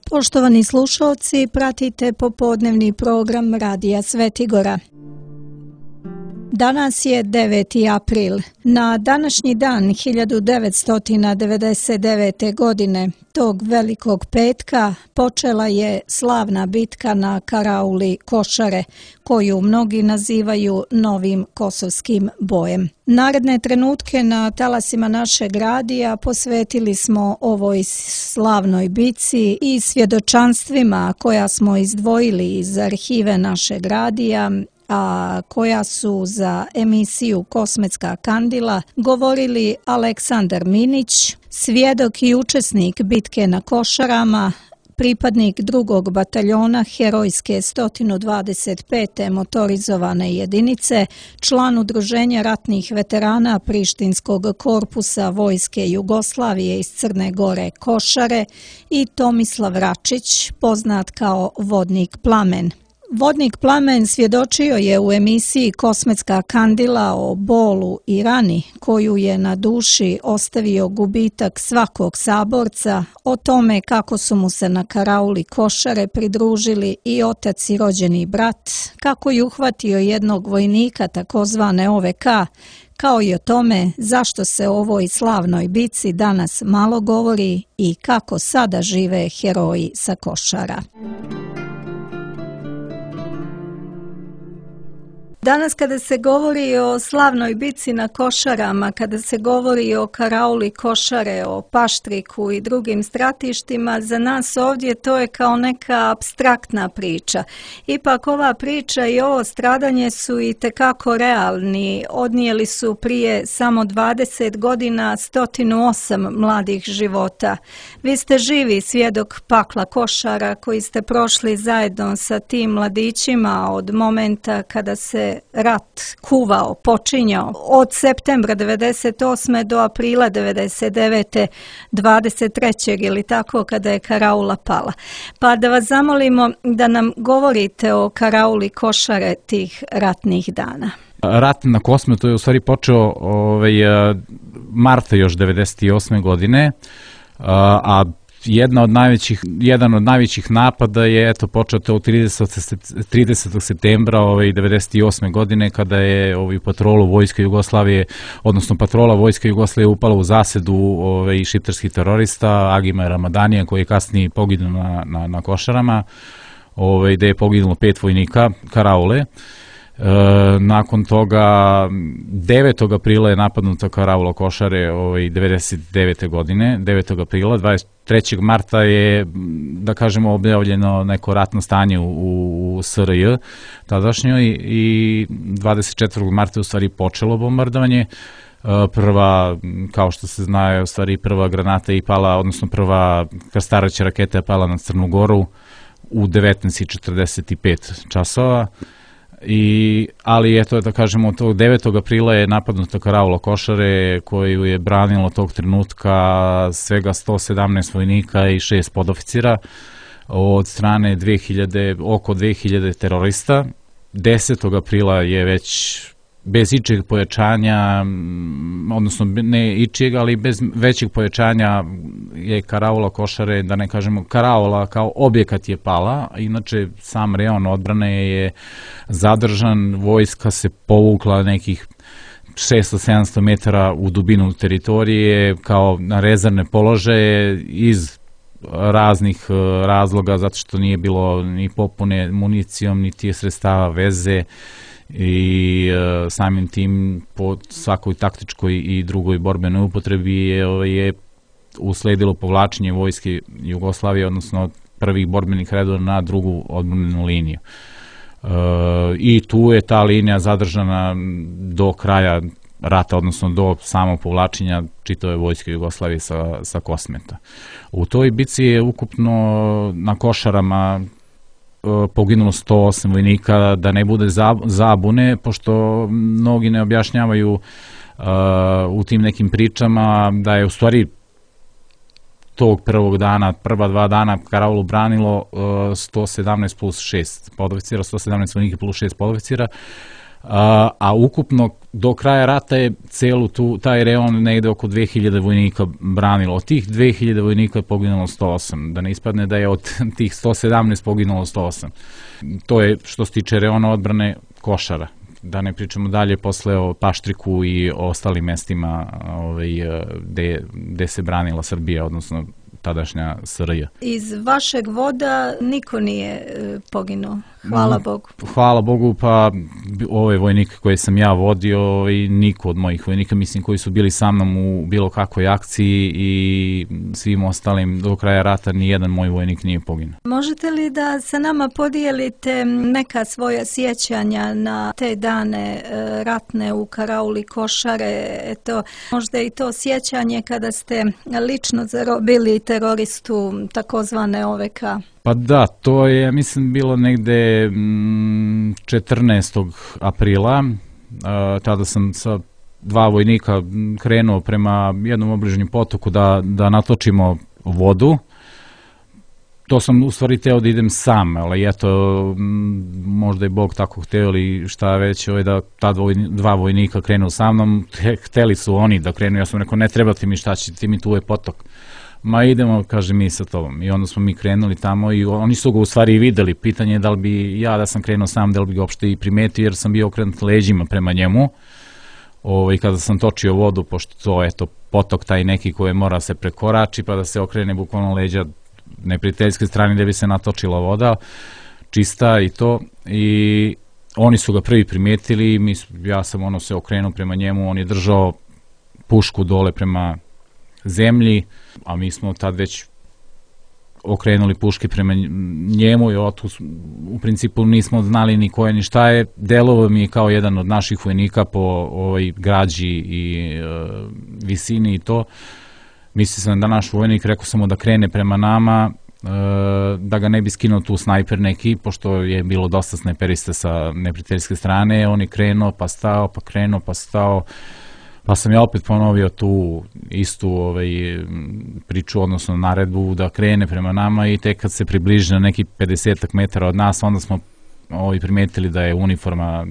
Poštovani slušalci, pratite popodnevni program Radija Svetigora. Danas je 9. april. Na današnji dan 1999. godine, tog velikog petka, počela je slavna bitka na karauli Košare, koju mnogi nazivaju novim kosovskim bojem. Naredne trenutke na talasima našeg radija posvetili smo ovoj slavnoj bici i svjedočanstvima koja smo izdvojili iz arhive našeg radija, a koja su za emisiju Kosmetska kandila govorili Aleksandar Minić, svjedok i učesnik bitke na Košarama, pripadnik 2. bataljona herojske 125. motorizovane jedinice, član Udruženja ratnih veterana Prištinskog korpusa Vojske Jugoslavije iz Crne Gore Košare i Tomislav Račić, poznat kao Vodnik Plamen. Vodnik Plamen svjedočio je u emisiji Kosmetska kandila o bolu i rani koju je na duši ostavio gubitak svakog saborca, o tome kako su mu se na karauli Košare pridružili i otac i rođeni brat, kako je uhvatio jednog vojnika takozvane OVK, kao i o tome zašto se o ovoj slavnoj bici danas malo govori i kako sada žive heroji sa Košara. Danas kada se govori o slavnoj bici na Košarama, kada se govori o karauli Košare, o Paštriku i drugim stratištima, za nas ovdje to je kao neka apstraktna priča. Ipak ova priča i ovo stradanje su i tekako realni. Odnijeli su prije samo 20 godina 108 mladih života. Vi ste živi svjedok pakla Košara koji ste prošli zajedno sa tim mladićima od momenta kada se rat kuvao, počinjao od septembra 98. do aprila 99. 23. ili tako kada je karaula pala. Pa da vas zamolimo da nam govorite o karauli Košare tih ratnih dana. Rat na Kosmetu je u stvari počeo marta još 98. godine, a jedan od najvećih napada je počeo od 30. septembra 98. godine kada je patrolu Vojske Jugoslavije, odnosno patrola Vojske Jugoslavije upala u zasedu šiptarskih terorista Agima Ramadanija koji je kasnije poginuo na Košarama, gde je poginulo 5 vojnika karaule. Nakon toga 9. aprila je napadnuta karaula Košare 99. godine, 9. aprila, 23. marta je, da kažemo, objavljeno neko ratno stanje u SRJ tadašnjoj i 24. marta je u stvari počelo bombardovanje. Prva, kao što se zna, u stvari prva granata je pala, odnosno prva krstarajuća raketa je pala na Crnu Goru u 19:45 časova. Ali eto, da kažemo, od tog 9. aprila je napadnuta karaula Košare koju je branilo tog trenutka svega 117 vojnika i 6 podoficira od strane oko 2000 terorista. 10. aprila je već bez ičeg pojačanja, odnosno ne ičeg, ali bez većeg pojačanja je karaula Košare, da ne kažemo karaula kao objekat je pala, inače sam rejon odbrane je zadržan, vojska se povukla nekih 600-700 metara u dubinu teritorije kao na rezervne položaje iz raznih razloga, zato što nije bilo ni popune municijom, niti sredstava veze, i samim tim po svakoj taktičkoj i drugoj borbenoj upotrebi je usledilo povlačenje Vojske Jugoslavije, odnosno prvih borbenih redova na drugu odbrambenu liniju. I tu je ta linija zadržana do kraja rata, odnosno do samog povlačenja čitave Vojske Jugoslavije sa Kosmeta. U toj bici je ukupno na Košarama poginulo 108 vojnika, da ne bude zabune, pošto mnogi ne objašnjavaju u tim nekim pričama da je u stvari tog prvog dana, prva 2 dana karaulu branilo 117 plus 6 podoficira, 117 vojnika plus 6 podoficira, a ukupno do kraja rata je taj reon negde oko 2000 vojnika branilo. Od tih 2000 vojnika je poginulo 108, da ne ispadne da je od tih 117 poginulo 108. To je što se tiče reona odbrane Košara. Da ne pričamo dalje posle o Paštriku i o ostalim mestima gde se branila Srbija, odnosno tadašnja SRJ. Iz vašeg voda niko nije poginuo, hvala Bogu. Hvala Bogu, pa ove vojnike koje sam ja vodio i niko od mojih vojnika, mislim, koji su bili sa mnom u bilo kakvoj akciji i svim ostalim do kraja rata, nijedan moj vojnik nije poginuo. Možete li da sa nama podijelite neka svoja sjećanja na te dane ratne u karauli Košare? Eto, možda i to sjećanje kada ste lično zarobili teroristu takozvane OVK. Pa da, to je, mislim, bilo negde 14. aprila. Tada sam sa 2 vojnika krenuo prema jednom obližnjem potoku da natočimo vodu. To sam u stvari teo da idem sam, ali eto, možda je Bog tako hteo ili šta već, da ta 2 vojnika krenu sa mnom. Hteli su oni da krenu, ja sam rekao, ne treba ti mi, šta će ti mi, tu je potok. Ma idemo, kaže, mi sa tobom. I onda smo mi krenuli tamo i oni su ga u stvari i videli. Pitanje je da li bi ja, da sam krenuo sam, da li bi ga uopšte i primetio, jer sam bio okrenut leđima prema njemu. Kada sam točio vodu, pošto to je potok taj neki koji mora se prekorači, pa da se okrene bukvalno leđa neprijateljske strane gde bi se natočila voda, čista i to. I oni su ga prvi primetili, ja sam se okrenuo prema njemu, on je držao pušku dole prema zemlji, a mi smo tad već okrenuli puške prema njemu i u principu nismo znali ni ko je ni šta je. Delovao mi je kao jedan od naših vojnika po građi i visini i to. Mislio sam da naš vojnik, rekao sam mu da krene prema nama, da ga ne bi skinuo tu snajper neki, pošto je bilo dosta snajperista sa neprijateljske strane. On je krenuo pa stao, pa krenuo pa stao. Pa sam ja opet ponovio tu istu priču, odnosno naredbu da krene prema nama i tek kad se približi na neki 50 metara od nas, onda smo primetili da je uniforma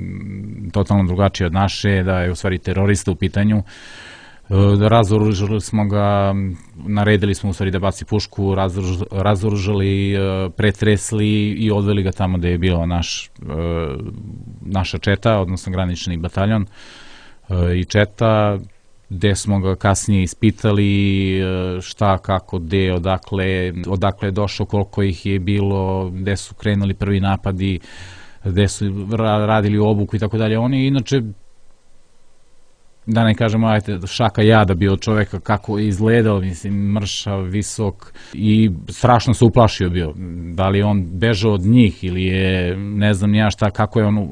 totalno drugačija od naše, da je u stvari terorista u pitanju. Razoružali smo ga, naredili smo u stvari da baci pušku, razoružali, pretresli i odveli ga tamo gde je bila naša četa, odnosno granični bataljon i četa, gde smo ga kasnije ispitali šta, kako, gde, odakle je došao, koliko ih je bilo, gde su krenuli prvi napadi, gde su radili obuku i tako dalje. On je inače, da ne kažemo, šaka jada bio od čoveka, kako je izgledao, mislim, mršav, visok i strašno se uplašio bio. Da li je on bežao od njih ili je, ne znam ja šta, kako je on,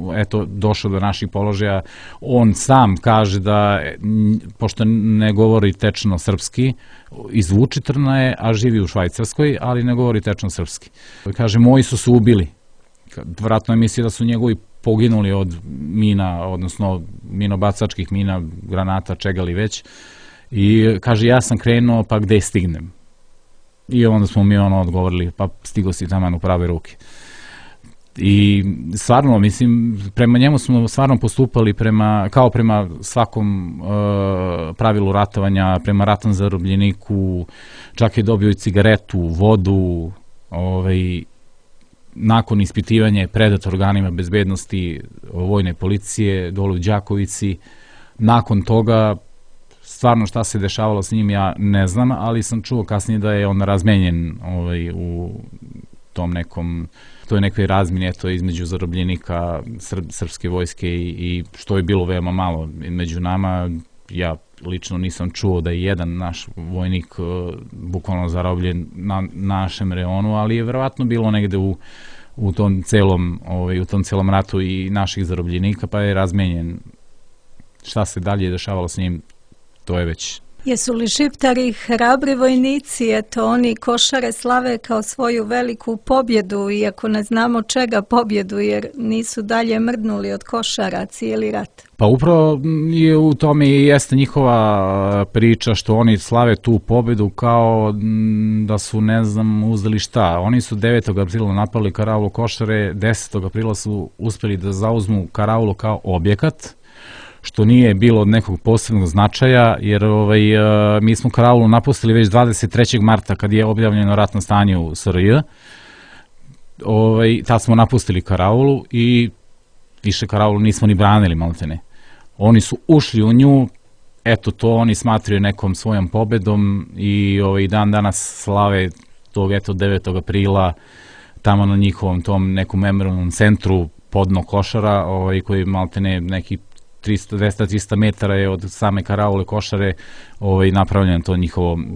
došao do naših položaja. On sam kaže da, pošto ne govori tečno srpski, iz Vučitrna je, a živi u Švajcarskoj, ali ne govori tečno srpski. Kaže, moji su se ubili. Vratno je mislio da su njegovi poginuli od mina, odnosno minobacačkih mina, granata, čega li već. I kaže, ja sam krenuo, pa gde stignem? I onda smo mi odgovorili, pa stigo si taman u prave ruke. I stvarno, mislim, prema njemu smo stvarno postupali kao prema svakom pravilu ratovanja, prema ratnom zarobljeniku, čak je dobio i cigaretu, vodu, nakon ispitivanja je predat organima bezbednosti vojne policije dole u Đakovici. Nakon toga, stvarno šta se dešavalo s njim ja ne znam, ali sam čuo kasnije da je on razmenjen u tom nekom, toj nekoj razmini između zarobljenika srpske vojske i što je bilo veoma malo među nama. Ja lično nisam čuo da je jedan naš vojnik bukvalno zarobljen na našem reonu, ali je verovatno bilo negde u tom celom ratu i naših zarobljenika, pa je razmenjen. Šta se dalje dešavalo s njim, to je već Jesu li Šiptari hrabri vojnici? Eto, oni Košare slave kao svoju veliku pobjedu, iako ne znamo čega pobjedu, jer nisu dalje mrdnuli od Košara cijeli rat. Pa upravo je u tome i jeste njihova priča što oni slave tu pobjedu kao da su, ne znam, uzeli šta. Oni su 9. aprila napali karaulu Košare, 10. aprila su uspjeli da zauzmu karaulu kao objekat, što nije bilo od nekog posebnog značaja, jer mi smo karaulu napustili već 23. marta kad je objavljeno ratno stanje u SRJ. Tad smo napustili karaulu i više karaulu nismo ni branili, maltene. Oni su ušli u nju, eto to oni smatraju nekom svojom pobedom i dan danas slave tog 9. aprila tamo na njihovom tom nekom memorialnom centru podno Košara, koji maltene neki 200-300 metara je od same karaule Košare napravljen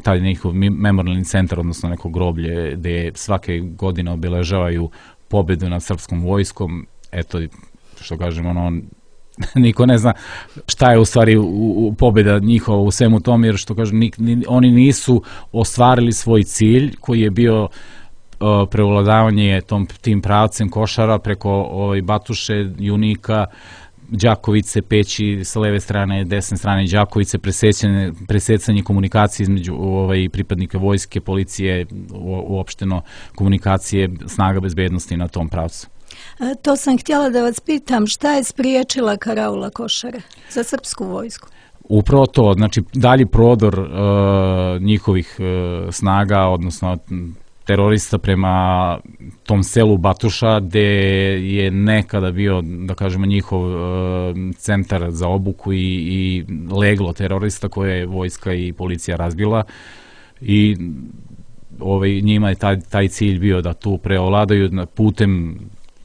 taj njihov memorialni centar, odnosno neko groblje gde svake godine obeležavaju pobedu nad srpskom vojskom. Eto, što kažem, niko ne zna šta je u stvari pobjeda njihova u svemu tom, jer što kažem, oni nisu ostvarili svoj cilj koji je bio prevladavanje tim pravcem Košara preko Batuše, Junika, Đakovice, Peći sa leve strane, desne strane Đakovice, presecanje komunikacije između pripadnika vojske, policije, uopšteno komunikacije snaga bezbednosti na tom pravcu. To sam htjela da vas pitam, šta je spriječila karaula Košare za srpsku vojsku? Upravo to, znači dalji prodor njihovih snaga, odnosno terorista prema tom selu Batuša, gde je nekada bio, da kažemo, njihov centar za obuku i leglo terorista koje je vojska i policija razbila, i njima je taj cilj bio da tu preovladaju putem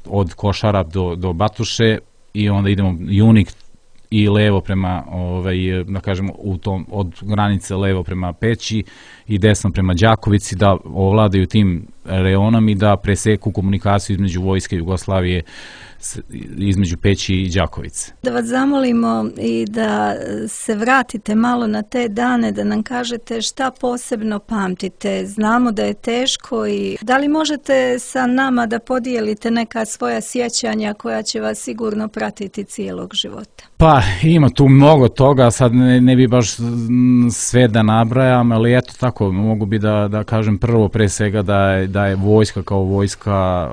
od Košara do Batuše, i onda idemo Junik i levo prema, da kažemo, od granice levo prema Peći i desno prema Đakovici, da ovladaju tim reonom i da preseku komunikaciju između vojske Jugoslavije, između Peći i Đakovice. Da vas zamolimo i da se vratite malo na te dane, da nam kažete šta posebno pamtite. Znamo da je teško, i da li možete sa nama da podijelite neka svoja sjećanja koja će vas sigurno pratiti cijelog života? Pa ima tu mnogo toga, sad ne bi baš sve da nabrajam, ali eto tako, mogu bi da kažem prvo pre svega da je vojska kao vojska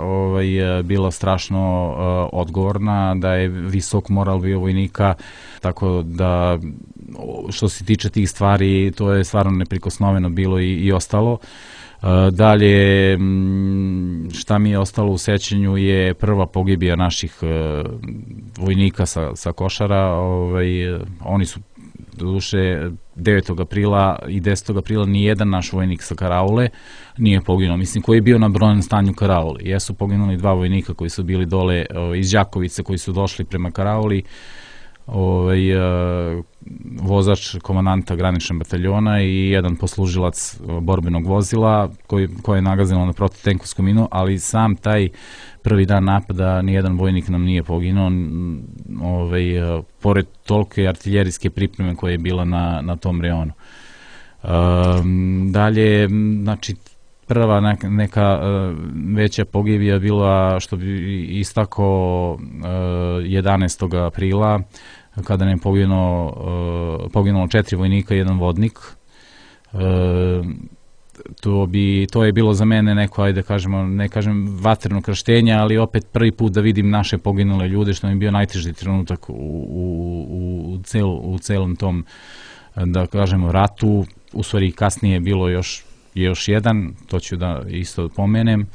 bila strašno odgovorna, da je visok moral bio vojnika, tako da što se tiče tih stvari, to je stvarno neprikosnoveno bilo i ostalo. Dalje, šta mi je ostalo u sećanju je prva pogibija naših vojnika sa Košara. Oni su, doduše, 9. aprila i 10. aprila nijedan naš vojnik sa karaule nije poginuo, mislim, koji je bio na brojnom stanju karaule. Jesu poginuli 2 vojnika koji su bili dole iz Đakovice, koji su došli prema karauli, vozač komandanta graničnog bataljona i jedan poslužilac borbenog vozila koji je nagazilo na protivtenkovsku minu, ali sam taj prvi dan napada nijedan vojnik nam nije poginuo, pored tolike artiljerijske pripreme koja je bila na tom reonu. Dalje, znači, prva neka veća pogibija bila, što bi istakao, 11. aprila, kada nam je poginulo 4 vojnika i 1 vodnik. To je bilo za mene neko, ajde kažemo, ne kažem vatreno krštenje, ali opet prvi put da vidim naše poginule ljude, što mi je bio najteži trenutak u celom tom, da kažemo, ratu. U stvari kasnije je bilo još jedan, to ću da isto pomenem.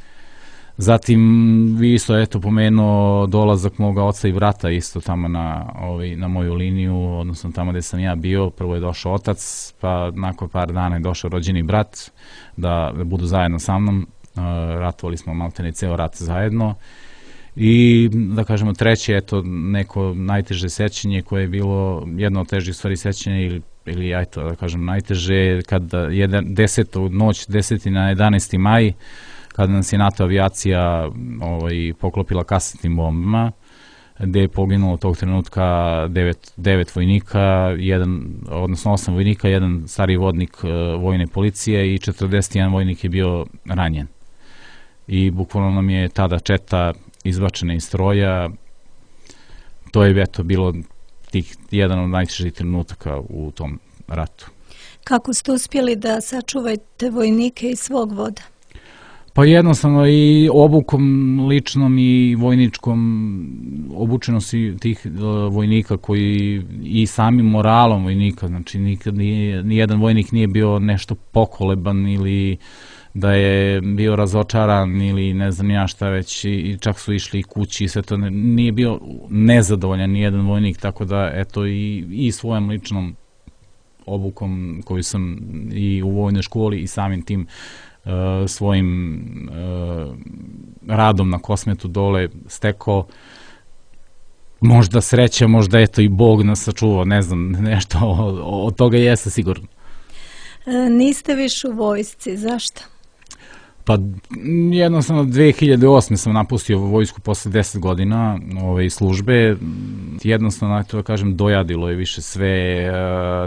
Zatim vi isto, eto, pomenuo dolazak moga oca i brata isto tamo na moju liniju, odnosno tamo gde sam ja bio. Prvo je došao otac, pa nakon par dana je došao rođeni brat da budu zajedno sa mnom. Ratovali smo maltene ceo rat zajedno. I da kažemo treće, eto, neko najteže sećanje koje je bilo jedno od težih stvari sećanja, ili eto, da kažem najteže, kada je noć 10. na 11. maj, kada nas je NATO avijacija poklopila kasetnim bombama. gde je poginulo tog trenutka 9 vojnika, 8 vojnika, jedan stariji vodnik vojne policije i 41 vojnik je bio ranjen. I bukvalno nam je tada četa izbačena iz stroja. To je bilo jedan od najtežih trenutaka u tom ratu. Kako ste uspjeli da sačuvajte vojnike i svog voda? Pa jednostavno i obukom ličnom i vojničkom obučenosti tih vojnika koji i samim moralom vojnika, znači nikad nijedan vojnik nije bio nešto pokoleban ili da je bio razočaran ili ne znam ja šta već i čak su išli kući i sve to, nije bio nezadovoljan nijedan vojnik, tako da eto i svojom ličnom obukom koju sam i u vojnoj školi i samim tim svojim radom na Kosmetu dole stekao, možda sreća, možda eto i Bog nas sačuvao, ne znam, nešto od toga jeste sigurno. Niste više u vojsci, zašto? Pa jednostavno 2008. sam napustio vojsku posle 10 godina službe. Jednostavno, da kažem, dojadilo je više sve,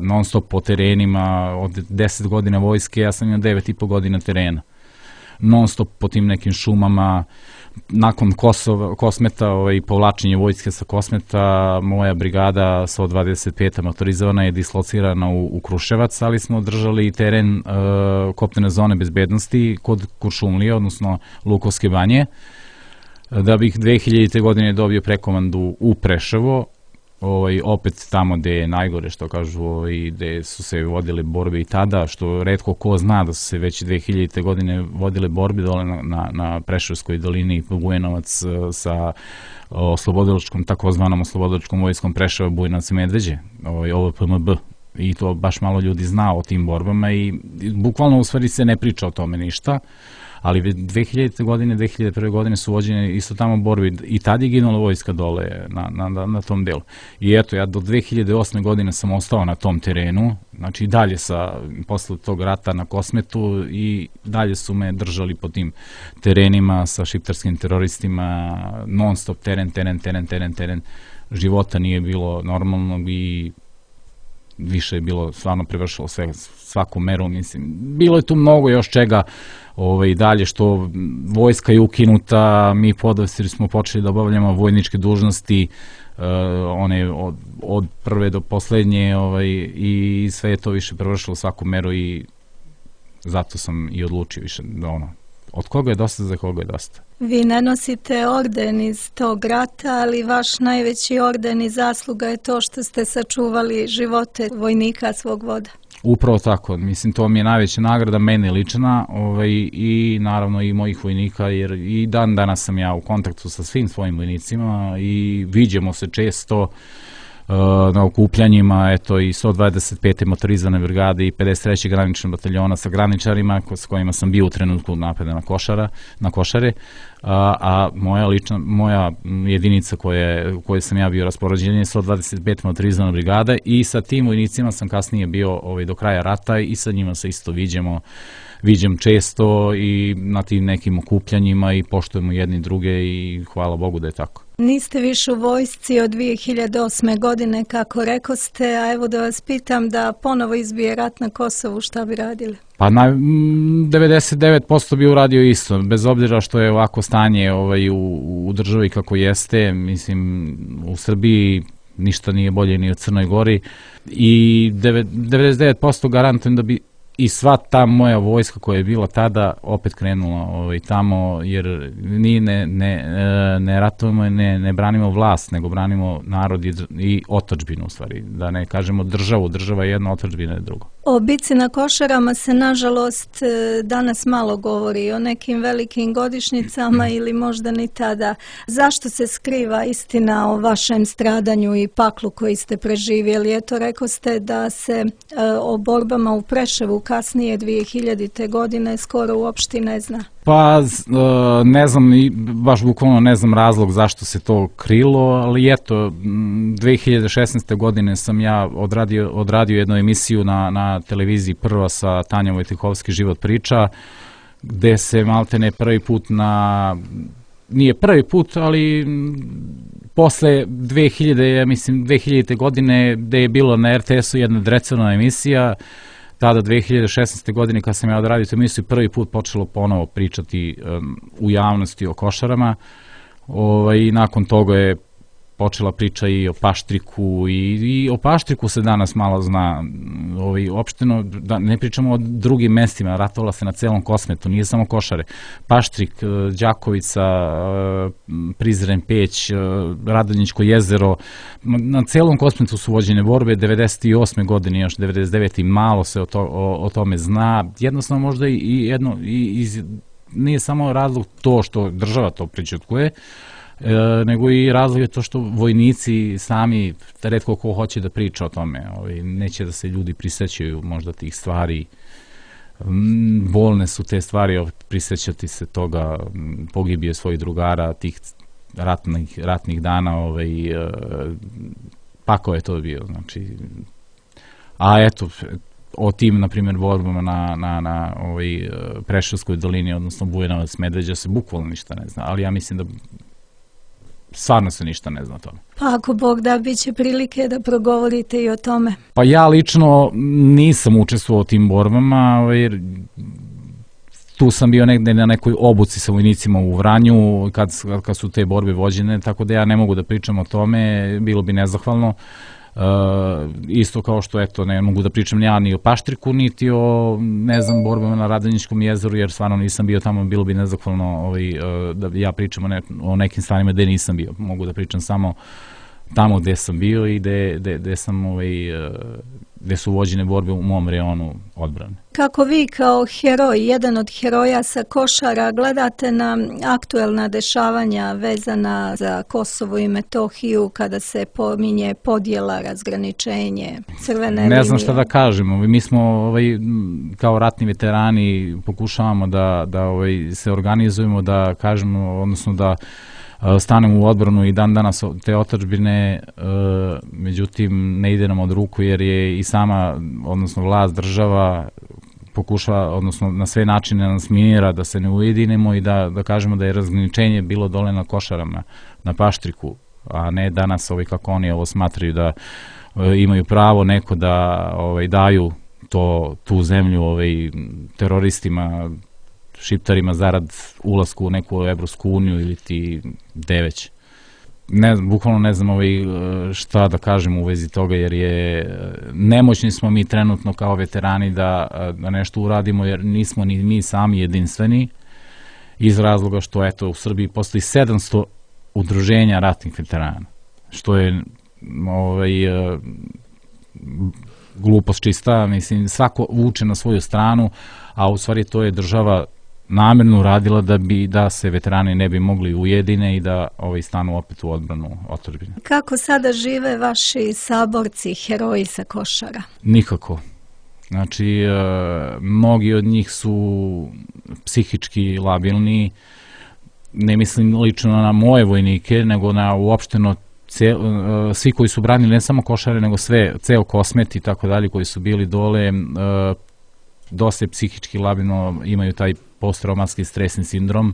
non stop po terenima, od 10 godina vojske, ja sam imao 9,5 godina terena. Non stop po tim nekim šumama. Nakon Kosmeta, povlačenje vojske sa Kosmeta, moja brigada 125. motorizovana je dislocirana u Kruševac, ali smo držali teren kopnene zone bezbednosti kod Kuršumlije, odnosno Lukovske banje, da bih 2000. godine dobio prekomandu u Preševo, opet tamo gde je najgore, što kažu, gde su se vodile borbe i tada, što retko ko zna da su se već 2000. godine vodile borbe dole na Preševskoj dolini, Bujanovac sa takozvanom oslobodilačkom vojskom Preševa, Bujanovac i Medveđe, OVPMB. I to baš malo ljudi zna o tim borbama i bukvalno u stvari se ne priča o tome ništa. Ali 2000. godine, 2001. godine su vođene isto tamo borbe i tad je ginula vojska dole na tom delu. I eto, ja do 2008. godine sam ostao na tom terenu, znači i dalje posle tog rata na Kosmetu i dalje su me držali po tim terenima sa šiptarskim teroristima, non stop teren, života nije bilo normalnog i više je bilo, stvarno prevršilo svaku meru, mislim. Bilo je tu mnogo još čega dalje, što vojska je ukinuta, mi podofisiri smo počeli da obavljamo vojničke dužnosti, one od prve do poslednje, i sve je to više prevršilo svaku meru i zato sam i odlučio više da od koga je dosta, za koga je dosta. Vi ne nosite orden iz tog rata, ali vaš najveći orden i zasluga je to što ste sačuvali živote vojnika svog voda. Upravo tako, mislim, to mi je najveća nagrada, mene lična, i naravno i mojih vojnika, jer i dan danas sam ja u kontaktu sa svim svojim vojnicima i viđemo se često na okupljanjima, eto i 125. motorizovane brigade i 53. graničnog bataljona sa graničarima s kojima sam bio u trenutku napada na Košare, a moja jedinica koje sam ja bio raspoređen je 125. motorizovana brigada i sa tim vojnicima sam kasnije bio do kraja rata i sa njima se isto viđem često i na tim nekim okupljanjima i poštujemo jedni druge i hvala Bogu da je tako. Niste više u vojsci od 2008. godine, kako rekoste, a evo da vas pitam da ponovo izbije rat na Kosovu, šta bi radili? Pa 99% bi uradio isto, bez obzira što je ovako stanje u državi kako jeste, mislim, u Srbiji ništa nije bolje ni u Crnoj Gori i 99% garantujem da bi i sva ta moja vojska koja je bila tada opet krenula tamo, jer ne ratujemo, ne branimo vlast, nego branimo narod i otadžbinu, u stvari. Da ne kažemo državu, država je jedna, otadžbina je drugo. O bici na Košarama se, nažalost, danas malo govori, o nekim velikim godišnjicama ili možda ni tada. Zašto se skriva istina o vašem stradanju i paklu koji ste preživjeli? Eto, rekoste da se o borbama u Preševu kasnije 2000. godine skoro uopšte ne zna. Pa ne znam, baš bukvalno ne znam razlog zašto se to krilo, ali eto, 2016. godine sam ja odradio jednu emisiju na televiziji Prva sa Tanjom Vojtehovski, Život priča, gde se maltene prvi put na nije prvi put, ali posle 2000. godine gde je bilo na RTS-u jedna drecovna emisija, tada 2016. godine kad sam ja odradio tu emisiju, prvi put počelo ponovo pričati u javnosti o košarama, i nakon toga je počela priča i o Paštriku i o Paštriku se danas malo zna, opšteno, da ne pričamo o drugim mestima, ratovala se na celom Kosmetu, nije samo Košare, Paštrik, Đakovica, Prizren Peć, Radonjičko jezero, na celom Kosmetu su vođene borbe, 98. godine, još 99. malo se o tome zna, jednostavno možda nije samo razlog to što država to prićutkuje, nego i razlog je to što vojnici sami, retko ko hoće da priča o tome, neće da se ljudi prisećaju možda tih stvari, bolne su te stvari, prisećati se toga, pogibije svojih drugara, tih ratnih dana, pakao je to bio, znači, a eto, o tim, na primjer, borbama na Preševskoj dolini, odnosno Bujanovac, Medveđa se bukvalno ništa ne zna, ali ja mislim da stvarno se ništa ne zna o tome. Pa ako Bog da, bit će prilike da progovorite i o tome. Pa ja lično nisam učestvovao u tim borbama, jer tu sam bio negde na nekoj obuci sa vojnicima u Vranju kad su te borbe vođene, tako da ja ne mogu da pričam o tome, bilo bi nezahvalno. Isto kao što, eto, ne mogu da pričam ja ni o Paštriku, niti o, ne znam, borbama na Radonjičkom jezeru, jer stvarno nisam bio tamo, bilo bi nezahvalno da ja pričam o nekim stvarima gde nisam bio. Mogu da pričam samo tamo gde sam bio i gde su vođene borbe u mom reonu odbrane. Kako vi kao heroj, jedan od heroja sa Košara, gledate na aktuelna dešavanja vezana za Kosovo i Metohiju kada se pominje podjela, razgraničenje, crvene linije? Ne znam šta da kažemo. Mi smo kao ratni veterani pokušavamo da se organizujemo, da kažemo, odnosno da stanemo u odbranu i dan danas te otadžbine, međutim ne ide nam od ruku jer je i sama, odnosno vlast, država pokušava, odnosno na sve načine nas minira da se ne ujedinimo i da kažemo da je razgraničenje bilo dole na Košarama, na Paštriku, a ne danas kako oni ovo smatraju da imaju pravo neko da daju tu zemlju teroristima, šiptarima zarad ulasku u neku Evropsku uniju ili ti gde već. Bukvalno ne znam šta da kažem u vezi toga, jer nemoćni smo mi trenutno kao veterani da nešto uradimo, jer nismo ni mi sami jedinstveni, iz razloga što, eto, u Srbiji postoji 700 udruženja ratnih veterana, što je glupost čista, mislim, svako vuče na svoju stranu, a u stvari to je država namerno uradila da se veterani ne bi mogli ujedine i da stanu opet u odbranu otadžbine. Kako sada žive vaši saborci, heroji sa Košara? Nikako. Znači, mnogi od njih su psihički labilni, ne mislim lično na moje vojnike, nego na uopšteno svi koji su branili ne samo Košare, nego ceo Kosmet i tako dalje koji su bili dole, dosta je psihički labilno, imaju taj posttraumatski stresni sindrom,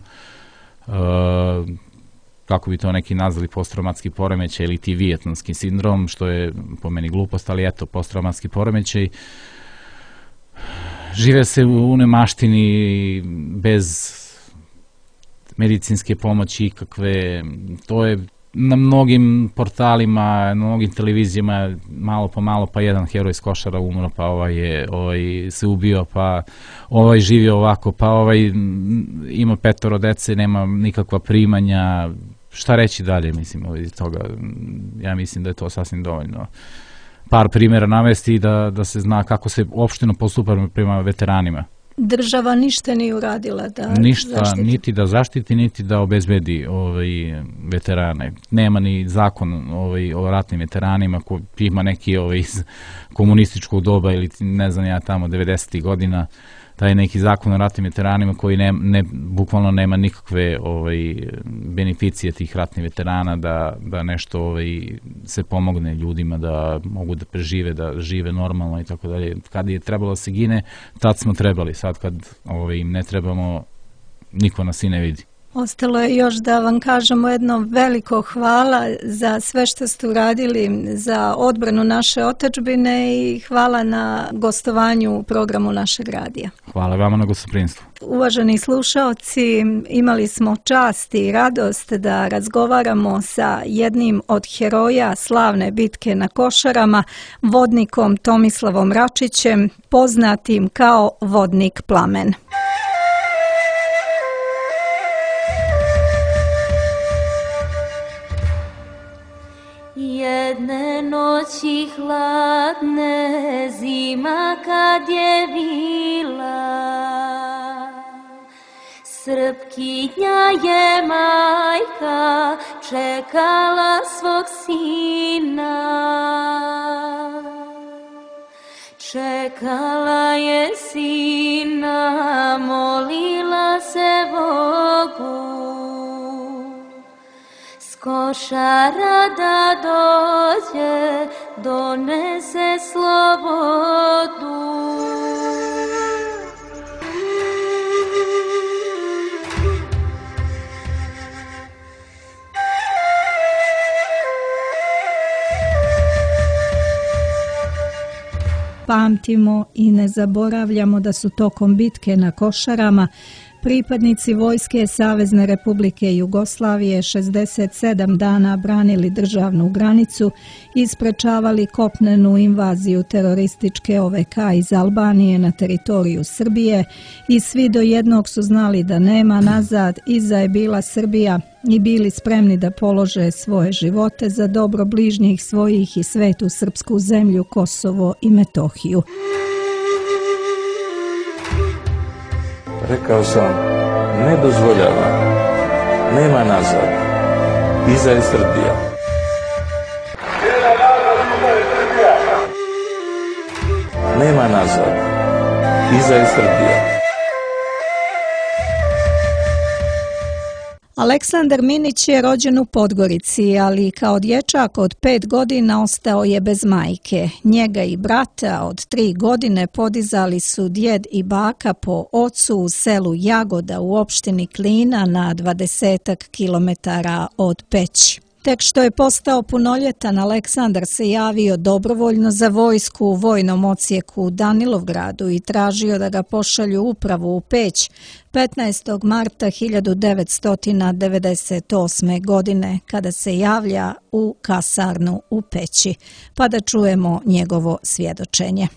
kako bi to neki nazvali, posttraumatski poremećaj ili ti vijetnamski sindrom, što je po meni glupost, ali eto, posttraumatski poremećaj. Žive se u nemaštini bez medicinske pomoći ikakve, to je na mnogim portalima, na mnogim televizijama, malo po malo, pa jedan heroj iz Košara umro, pa se ubio, pa živio ovako, pa ima 5 dece, nema nikakva primanja. Šta reći dalje, mislim, iz toga? Ja mislim da je to sasvim dovoljno. Par primjera navesti i da se zna kako se opšteno postupa prema veteranima. Država ništa nije uradila da zaštiti? Niti da zaštiti, niti da obezbedi veterane. Nema ni zakon o ratnim veteranima koji ima neki iz komunističkog doba ili ne znam ja tamo 90. godina, taj neki zakon o ratnim veteranima koji bukvalno nema nikakve beneficije tih ratnih veterana da nešto se pomogne ljudima da mogu da prežive, da žive normalno i tako dalje. Kad je trebalo da se gine, tad smo trebali. Sad kad im ne trebamo, niko nas i ne vidi. Ostalo je još da vam kažemo jedno veliko hvala za sve što ste uradili za odbranu naše otadžbine i hvala na gostovanju u programu našeg radija. Hvala vama na gostoprimstvu. Uvaženi slušaoci, imali smo čast i radost da razgovaramo sa jednim od heroja slavne bitke na Košarama, vodnikom Tomislavom Račićem, poznatim kao vodnik Plamen. Jedne noći hladne, zima kad je bila, Srpkinja je majka čekala svog sina. Čekala je sina, molila se Bogu, s Košara da dođe, donese slobodu. Pamtimo i ne zaboravljamo da su tokom bitke na Košarama pripadnici Vojske Savezne Republike Jugoslavije 67 dana branili državnu granicu i sprečavali kopnenu invaziju terorističke OVK iz Albanije na teritoriju Srbije i svi do jednog su znali da nema nazad, iza je bila Srbija i bili spremni da polože svoje živote za dobro bližnjih svojih i svetu srpsku zemlju, Kosovo i Metohiju. Rekao sam, ne dozvoljavam, nema nazad, iza je Srbija. Nema nazad, iza je Srbija. Aleksandar Minić je rođen u Podgorici, ali kao dječak od 5 godina ostao je bez majke. Njega i brata od 3 godine podizali su djed i baka po ocu u selu Jagoda u opštini Klina na 20 kilometara od Peći. Tek što je postao punoljetan, Aleksandar se javio dobrovoljno za vojsku u vojnom odsjeku u Danilovgradu i tražio da ga pošalju upravo u Peć 15. marta 1998. godine, kada se javlja u kasarnu u Peći. Pa da čujemo njegovo svjedočenje.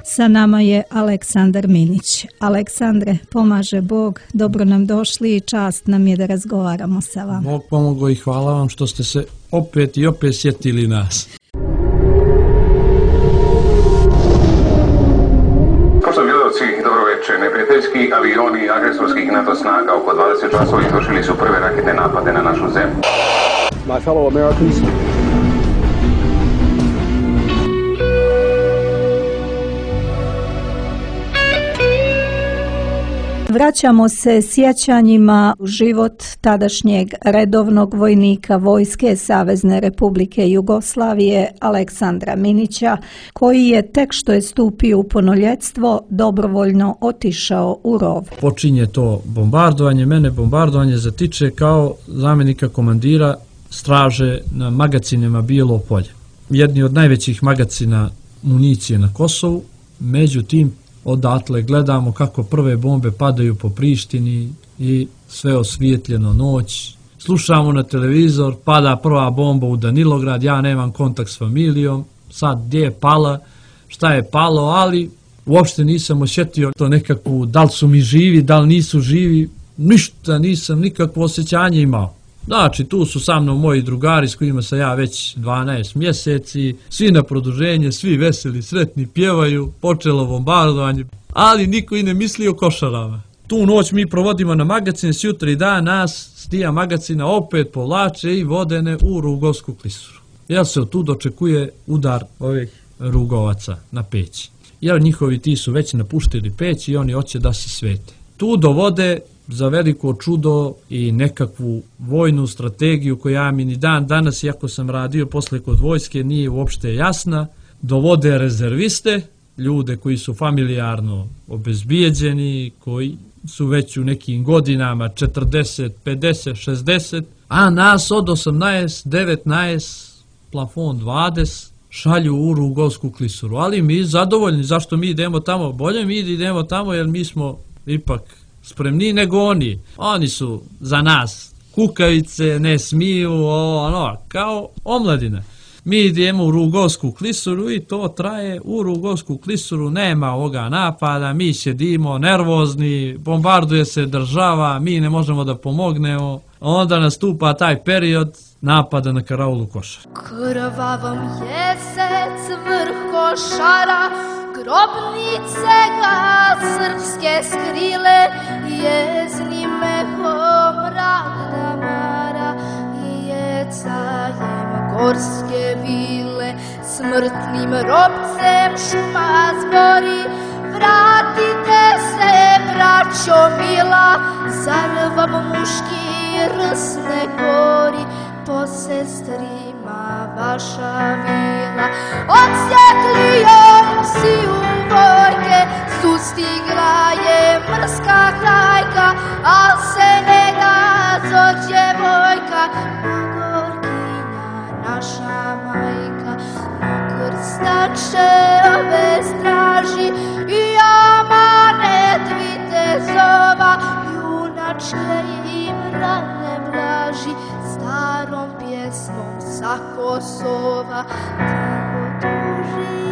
Sa nama je Aleksandar Minić. Aleksandre, pomaže Bog, dobro nam došli i čast nam je da razgovaramo sa vama. Bog pomogao i hvala vam što ste se opet i opet sjetili nas. Kosovljudovci, dobroveče. Neprijateljski avioni agresorskih NATO snaga oko 20 časova izvršili su prve raketne napade na našu zemlju. My fellow Americans, Vraćamo se sjećanjima u život tadašnjeg redovnog vojnika Vojske Savezne Republike Jugoslavije Aleksandra Minića, koji je tek što je stupio u punoljetstvo dobrovoljno otišao u rov. Počinje to bombardovanje, mene bombardovanje zatiče kao zamjenika komandira straže na magacinima Bijelo polje. Jedni od najvećih magacina municije na Kosovu, međutim odatle gledamo kako prve bombe padaju po Prištini i sve osvijetljeno noć. Slušamo na televizor, pada prva bomba u Danilograd, ja nemam kontakt s familijom, sad gdje je pala, šta je palo, ali uopšte nisam osjetio to nekakvu, da li su mi živi, da li nisu živi, ništa nisam, nikakvo osjećanje imao. Znači, tu su sa mnom moji drugari s kojima sam ja već 12 mjeseci, svi na produženje, svi veseli, sretni, pjevaju, počelo bombardovanje, ali niko i ne misli o Košarama. Tu noć mi provodimo na magacine, sjutra i dan nas s tija magacina opet povlače i vodene u Rugovsku klisuru. Jer se od tu dočekuje udar ovih Rugovaca na Peć. Jer njihovi ti su već napuštili Peć i oni hoće da se svete. Tu dovode za veliko čudo i nekakvu vojnu strategiju koja mi ni dan danas, iako sam radio posle kod vojske, nije uopšte jasna. Dovode rezerviste, ljude koji su familijarno obezbijeđeni, koji su već u nekim godinama 40, 50, 60, a nas od 18, 19, plafon 20, šalju u Rugolsku klisuru. Ali mi zadovoljni, zašto mi idemo tamo? Bolje mi idemo tamo jer mi smo ipak spremniji nego oni. Oni su za nas kukavice, ne smiju, kao omladina. Mi idemo u Rugolsku klisuru i to traje. U Rugolsku klisuru nema ovoga napada, mi sjedimo nervozni, bombarduje se država, mi ne možemo da pomognemo. Onda nastupa taj period napada na karaulu Košare. Krvavom jesec vrh Košara, grobnice ga srpske skrile, jeznim mehom mrak da mara i jecajem gorske vile. Smrtnim robcem šuma zbori, vratite se, braćo mila, zar vam muški rs ne gori, po sestrima vaša vila. Odsjetlijom si u vojke, sustigla je mrska hajka, al se ne gazo djevojka, Gorkinja naša majka. Krstače ove straži i amanet vitezova, junačke im rane vlaži, starom pjesmom sa Kosova. Tiho tuži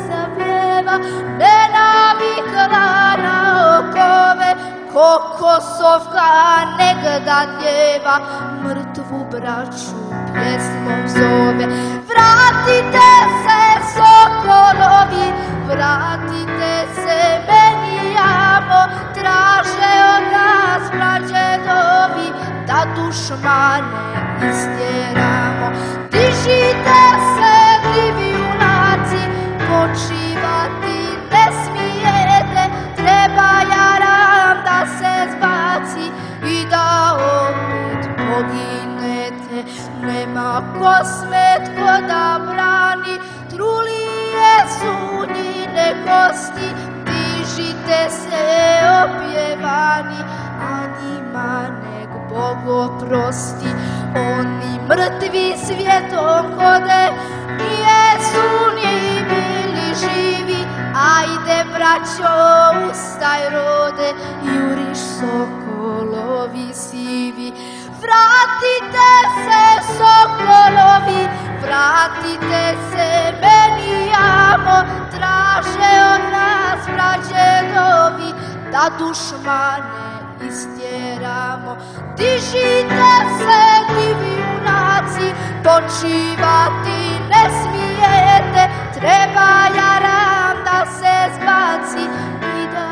zapjeva, ne navikla na okove, ko Kosovka negda djeva, mrtvu braću pjesmom zove. Vratite se, sokolovi, vratite se, meni jamo, traže od nas prađedovi, da dušmane istjeramo. Dižite se, divi junaci, počivati ne smijete, treba jaram da se zbaci i da opet poginete. Nema kosmetko da brani, trulije su njine kosti, dižite se opjevani, a njima nek Bog oprosti. Oni mrtvi svijetom hode, jesu ni bili živi, ajde braćo ustaj rode, juriš sokolovi sivi. Vratite se, sokolovi, vratite se, meni jamo, traže od nas prađedovi, da dušmane istjeramo. Dižite se, divi junaci, počivati ne smijete, treba jaram da se zbaci i da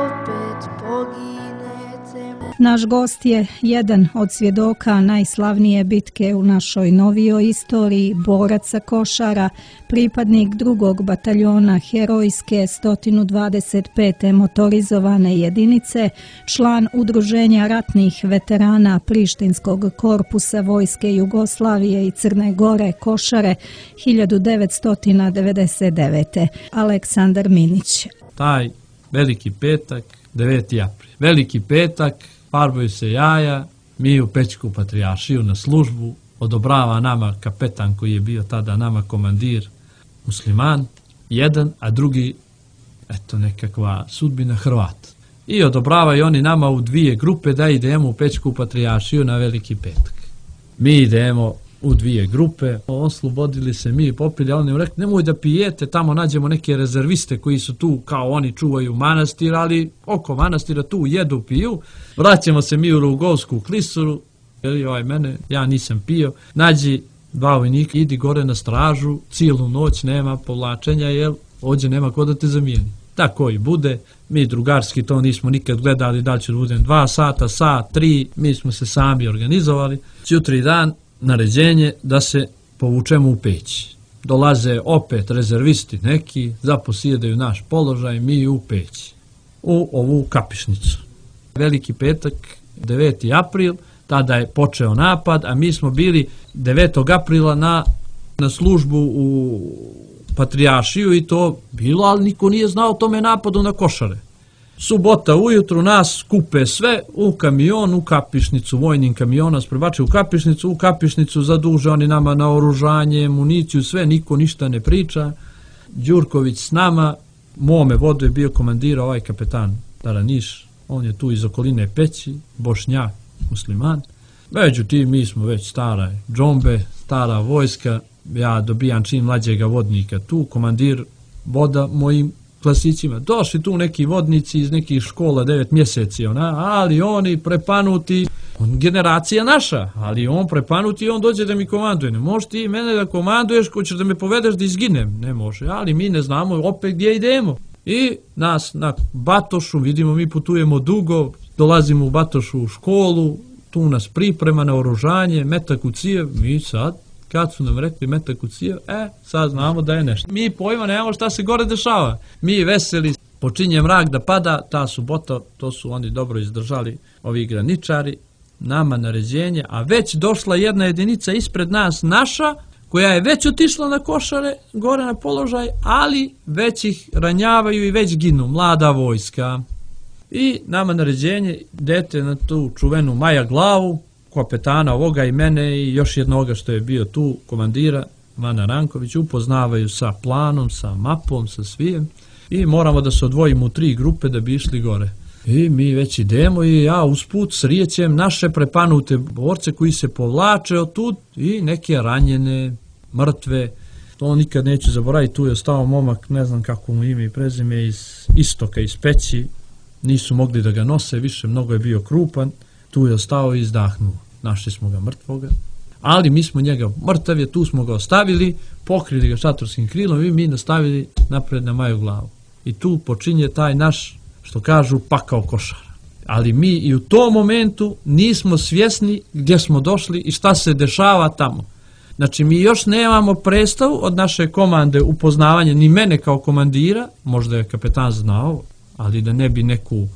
opet poginete. Naš gost je jedan od svjedoka najslavnije bitke u našoj novijoj istoriji, borac sa Košara, pripadnik 2. bataljona herojske 125. motorizovane jedinice, član Udruženja ratnih veterana Prištinskog korpusa Vojske Jugoslavije i Crne Gore Košare 1999. Aleksandar Minić. Taj veliki petak, 9. april. Veliki petak, farbaju se jaja, mi u Pećku patrijaršiju na službu, odobrava nama kapetan koji je bio tada nama komandir, musliman, jedan, a drugi, eto nekakva sudbina Hrvat. I odobravaju oni nama u 2 grupe da idemo u Pećku patrijaršiju na veliki petak. Mi idemo u 2 grupe, oslobodili se, mi popili, a oni im rekli, nemoj da pijete, tamo nađemo neke rezerviste koji su tu, kao oni čuvaju manastir, ali oko manastira tu jedu, piju. Vraćamo se mi u Rugolsku klisuru, mene, ja nisam pio, nađi 2 vojnika, idi gore na stražu, cijelu noć nema povlačenja, jer ovdje nema ko da te zamijeni. Tako i bude, mi drugarski to nismo nikad gledali, da li će da budem 2 sata, sat, 3, mi smo se sami organizovali. Jutri dan, naređenje da se povučemo u Peć. Dolaze opet rezervisti neki, zaposjedaju naš položaj, mi u Peć, u ovu kapišnicu. Veliki petak, 9. april, tada je počeo napad, a mi smo bili 9. aprila na službu u patrijaršiju i to bilo, ali niko nije znao o tome napadu na Košare. Subota ujutru nas skupe sve u kamion, u Kapišnicu, vojnim kamion nas prebače u Kapišnicu zaduže oni nama na oružanje, municiju, sve, niko ništa ne priča. Đurković s nama, mome vodu je bio komandir ovaj kapetan Taraniš, on je tu iz okoline Peći, Bošnjak, musliman. Međutim, mi smo već stara džombe, stara vojska, ja dobijam čim mlađega vodnika tu, komandir voda mojim klasićima. Došli tu neki vodnici iz nekih škola 9 mjeseci, ali oni prepanuti, generacija naša, ali on prepanuti i on dođe da mi komanduje. Ne možeš ti mene da komanduješ, hoćeš da me povedeš da izginem. Ne može, ali mi ne znamo opet gdje idemo. I nas na Batošu, vidimo mi putujemo dugo, dolazimo u Batošu u školu, tu nas priprema na oružanje, metak u cijev, mi sad, kad su nam rekli metak u cijev, sad znamo da je nešto. Mi pojma nemamo šta se gore dešava. Mi veseli, počinje mrak da pada, ta subota, to su oni dobro izdržali, ovi graničari, nama naređenje, a već došla jedna jedinica ispred nas, naša, koja je već otišla na Košare, gore na položaj, ali već ih ranjavaju i već ginu, mlada vojska. I nama naređenje, idete na tu čuvenu Maja Glavu, kapetana ovoga i mene i još jednoga što je bio tu, komandira, Vana Ranković, upoznavaju sa planom, sa mapom, sa svijem i moramo da se odvojimo u 3 grupe da bi išli gore. I mi već idemo i ja usput srijećem naše prepanute borce koji se povlače od tud i neke ranjene, mrtve. To nikad neću zaboraviti, tu je ostao momak, ne znam kako mu ime i prezime, iz istoka, iz Peći. Nisu mogli da ga nose više, mnogo je bio krupan. Tu je ostao i izdahnuo. Našli smo ga mrtvoga. Ali mi smo njega, mrtav je, tu smo ga ostavili, pokrili ga šatorskim krilom i mi nastavili napred na Maju Glavu. I tu počinje taj naš, što kažu, pakao Košara. Ali mi i u tom momentu nismo svjesni gdje smo došli i šta se dešava tamo. Znači, mi još nemamo predstavu od naše komande upoznavanja, ni mene kao komandira, možda je kapetan znao, ali da ne bi neku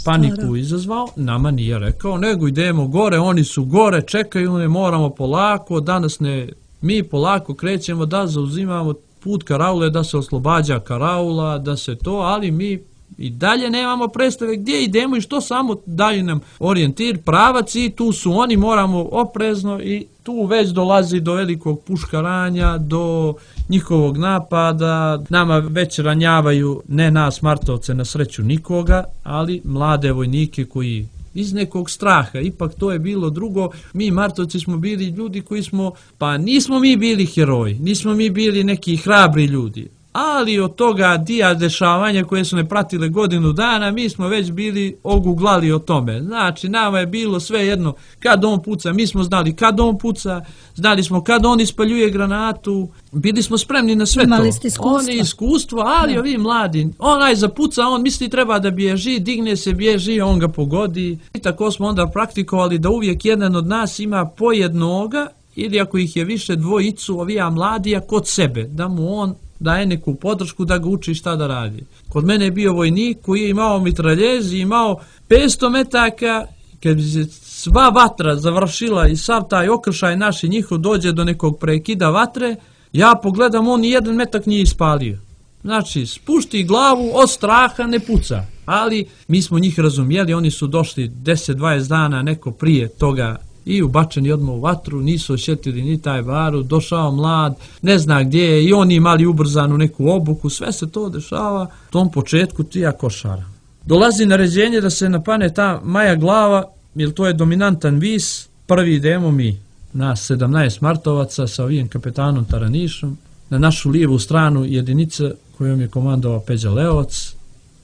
paniku izazvao, nama nije rekao, nego idemo gore, oni su gore, čekaju, ne moramo polako, danas ne, mi polako krećemo da zauzimamo put karaule, da se oslobađa karaula, da se to, ali mi i dalje nemamo predstave gdje idemo i što, samo daju nam orijentir, pravac i tu su oni, moramo oprezno i tu već dolazi do velikog puškaranja, do njihovog napada, nama već ranjavaju, ne nas Martovce, na sreću nikoga, ali mlade vojnike koji iz nekog straha, ipak to je bilo drugo, mi Martovci smo bili ljudi koji smo, pa nismo mi bili heroji, nismo mi bili neki hrabri ljudi, ali od toga dija dešavanja koje su ne pratile godinu dana, mi smo već bili oguglali o tome. Znači, nama je bilo sve jedno kad on puca, mi smo znali kad on puca, znali smo kad on ispaljuje granatu, bili smo spremni na sve imali to. Ste iskustvo. On je iskustvo, ali ovi mladi, onaj zapuca, on misli treba da bježi, digne se, bježi, on ga pogodi. I tako smo onda praktikovali da uvijek jedan od nas ima po jednoga, ili ako ih je više, dvojicu ovija mladija kod sebe, da mu on daje neku podršku da ga uči šta da radi. Kod mene je bio vojnik koji je imao mitraljez i imao 500 metaka, kad bi se sva vatra završila i sav taj okršaj naš i njihov dođe do nekog prekida vatre, ja pogledam, on ni jedan metak nije ispalio. Znači, spušti glavu, od straha ne puca. Ali mi smo njih razumijeli, oni su došli 10-20 dana neko prije toga i ubačeni odmah u vatru, nisu osjetili ni taj barut, došao mlad, ne zna gdje je, i oni imali ubrzanu neku obuku, sve se to dešava u tom početku tija Košara. Dolazi naređenje da se napane ta Maja Glava, jer to je dominantan vis, prvi idemo mi, nas 17 Martovaca sa ovim kapetanom Taranišom, na našu lijevu stranu jedinica kojom je komandovao Peđa Leovac,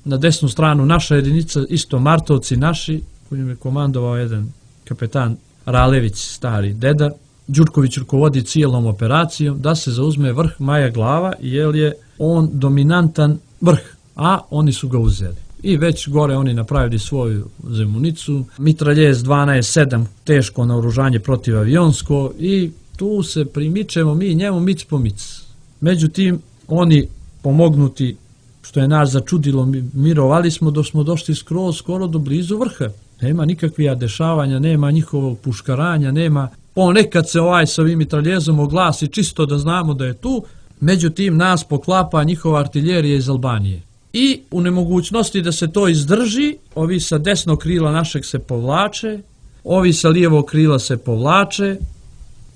na desnu stranu naša jedinica, isto Martovci naši, kojom je komandovao jedan kapetan Ralević, stari deda. Đurković rukovodi cijelom operacijom da se zauzme vrh Maja Glava, jer je on dominantan vrh, a oni su ga uzeli. I već gore oni napravili svoju zemunicu, mitraljez 12-7, teško naoružanje protivavionsko, i tu se primičemo mi njemu mic po mic. Međutim, oni pomognuti, što je nas začudilo, mirovali smo dok smo došli skoro do blizu vrha. Nema nikakvih dešavanja, nema njihovog puškaranja, nema, ponekad se s ovim mitraljezom oglasi čisto da znamo da je tu, međutim nas poklapa njihova artiljerija iz Albanije. i u nemogućnosti da se to izdrži, ovi sa desnog krila našeg se povlače, ovi sa lijevog krila se povlače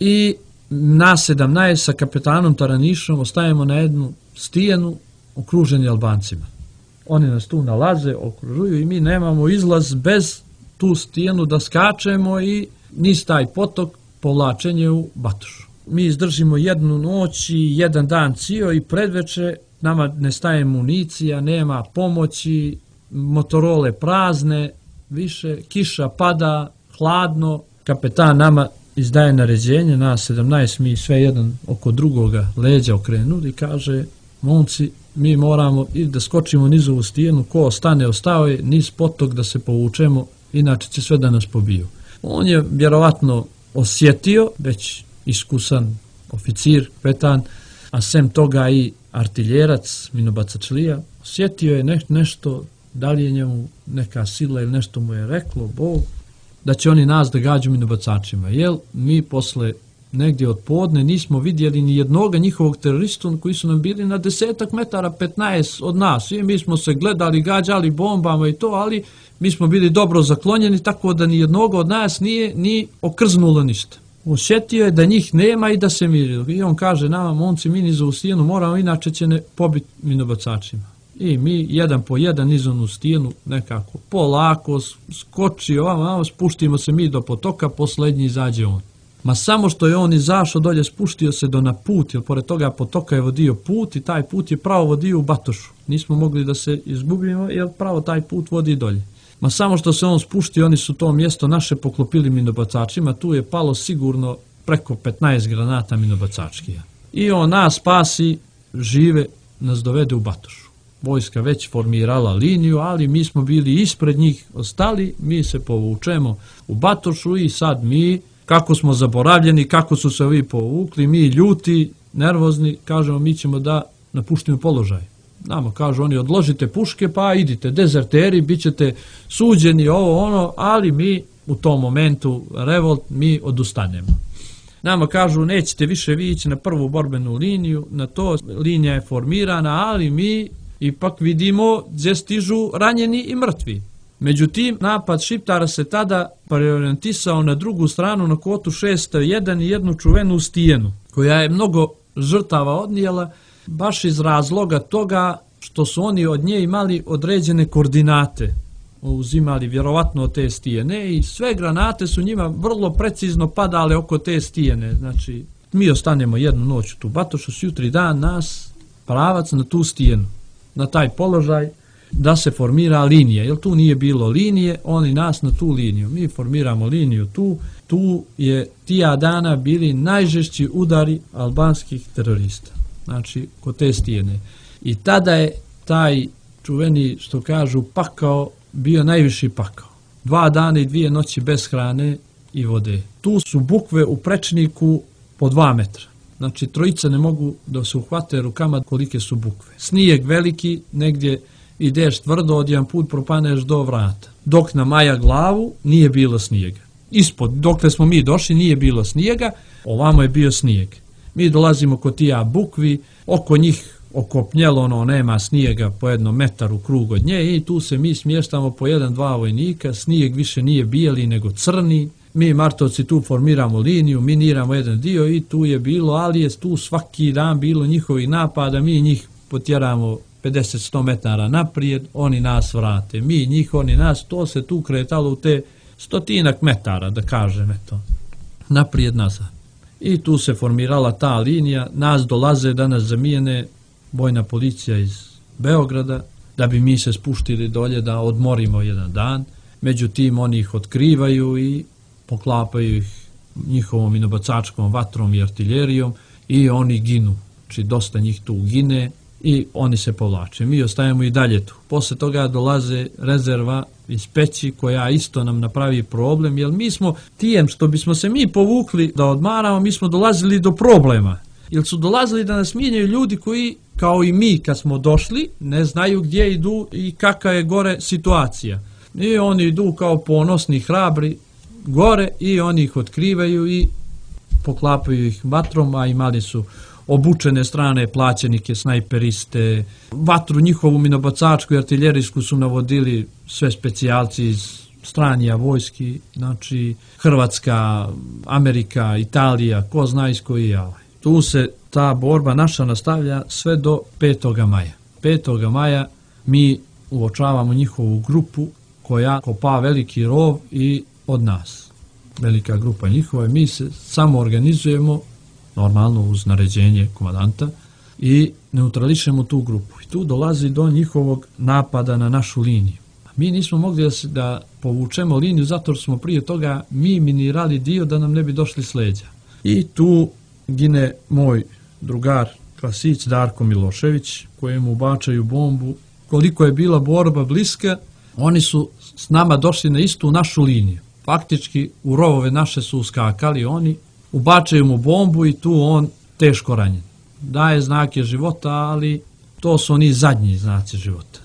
i nas 17 sa kapetanom Taranišom ostajemo na jednu stijenu okruženi Albancima. Oni nas tu nalaze, okružuju i mi nemamo izlaz bez tu stijenu da skačemo i niz taj potok povlačenje u Batošu. Mi izdržimo jednu noć i jedan dan cijel i predveče nama nestaje municija, nema pomoći, motorole prazne, više kiša pada, hladno. Kapetan nama izdaje naređenje, nas 17, mi sve jedan oko drugoga leđa okrenuli i kaže, momci, mi moramo da skočimo niz ovu stijenu, ko ostane, ostao je, niz potok da se povučemo, inače će sve da nas pobiju. On je vjerovatno osjetio, već iskusan oficir, kapetan, a sem toga i artiljerac, minobacačlija, osjetio je nešto, da li je njemu neka sila ili nešto mu je reklo, Bog, da će oni nas da gađu minobacačima. Jer mi posle negdje od podne nismo vidjeli ni jednoga njihovog terorista koji su nam bili na 10 metara, 15 od nas. I mi smo se gledali, gađali bombama i to, ali mi smo bili dobro zaklonjeni, tako da ni jednog od nas nije ni okrznulo ništa. Osjetio je da njih nema i da se miri. I on kaže nama, momci, mi niz ovu stijenu moramo, inače će ne pobiti minobacačima. I mi jedan po jedan niz onu stijenu nekako polako skoči ovamo, spuštimo se mi do potoka, poslednji izađe on. Ma samo što je on izašao dolje, spuštio se do na put, jer pored toga potoka je vodio put i taj put je pravo vodio u Batošu. Nismo mogli da se izgubimo, jer pravo taj put vodi dolje. Ma samo što se on spuštio, oni su to mjesto naše poklopili minobacačima, tu je palo sigurno preko 15 granata minobacačkija. I on nas spasi, žive, nas dovede u Batošu. Vojska već formirala liniju, ali mi smo bili ispred njih, ostali, mi se povučemo u Batošu i sad mi, kako smo zaboravljeni, kako su se ovi povukli, mi ljuti, nervozni, kažemo mi ćemo da napuštimo položaj. Nama kažu oni odložite puške pa idite, dezerteri, bit ćete suđeni, ovo ono, ali mi u tom momentu revolt, mi odustanemo. Nama kažu nećete više vi ići na prvu borbenu liniju, na to linija je formirana, ali mi ipak vidimo gdje stižu ranjeni i mrtvi. Međutim, napad Šiptara se tada preorijentisao na drugu stranu na kotu 601 i jednu čuvenu stijenu, koja je mnogo žrtava odnijela, baš iz razloga toga što su oni od nje imali određene koordinate, uzimali vjerovatno od te stijene i sve granate su njima vrlo precizno padale oko te stijene. Znači, mi ostanemo jednu noć u tu Batošu, jutri dan nas pravac na tu stijenu, na taj položaj, da se formira linija, jer tu nije bilo linije, oni nas na tu liniju. Mi formiramo liniju tu je tija dana bili najžešći udari albanskih terorista, znači kod te stijene. I tada je taj čuveni, što kažu, pakao, bio najviši pakao. 2 dana i 2 noći bez hrane i vode. Tu su bukve u prečniku po 2 metra. Znači, trojica ne mogu da se uhvate rukama kolike su bukve. Snijeg veliki, negdje ideš tvrdo, odjedan put propaneš do vrata. Dok na Maja glavu nije bilo snijega. Ispod, dokle smo mi došli, nije bilo snijega, ovamo je bio snijeg. Mi dolazimo kod tija bukvi, oko njih okopnjelo, nema snijega po 1 metar u krug od nje i tu se mi smještamo po 1-2 vojnika, snijeg više nije bijeli nego crni. Mi Martovci tu formiramo liniju, miniramo jedan dio i tu je bilo, ali je tu svaki dan bilo njihovih napada, mi njih potjeramo 50-100 metara naprijed, oni nas vrate, mi njih, oni nas, to se tu kretalo u te 100 metara, da kažem, eto, naprijed nazad. I tu se formirala ta linija, nas dolaze da nas zamijene vojna policija iz Beograda, da bi mi se spuštili dolje da odmorimo jedan dan, međutim oni ih otkrivaju i poklapaju ih njihovom minobacačkom vatrom i artiljerijom i oni ginu, znači dosta njih tu gine i oni se povlače. Mi ostajemo i dalje tu. Posle toga dolaze rezerva iz Peći koja isto nam napravi problem, jer mi smo tijem što bismo se mi povukli da odmaramo, mi smo dolazili do problema. Jer su dolazili da nas mijenjaju ljudi koji, kao i mi kad smo došli, ne znaju gdje idu i kakva je gore situacija. I oni idu kao ponosni, hrabri gore i oni ih otkrivaju i poklapaju ih vatrom, a imali su obučene strane plaćenike, snajperiste, vatru njihovu minobacačku i artiljerijsku su navodili sve specijalci iz stranija vojski, znači Hrvatska, Amerika, Italija, ko zna iz koji je. Tu se ta borba naša nastavlja sve do 5. maja. 5. maja mi uočavamo njihovu grupu koja kopa veliki rov i od nas. Velika grupa njihova, mi se samo organizujemo, normalno uz naređenje komandanta, i neutrališemo tu grupu. I tu dolazi do njihovog napada na našu liniju. Mi nismo mogli da povučemo liniju zato što smo prije toga mi minirali dio da nam ne bi došli s leđa. I tu gine moj drugar klasić Darko Milošević, kojemu bačaju bombu. Koliko je bila borba bliska, oni su s nama došli na istu našu liniju. Faktički u rovove naše su uskakali oni, ubačaju mu bombu i tu on teško ranjen. Daje znake života, ali to su oni zadnji znaci života.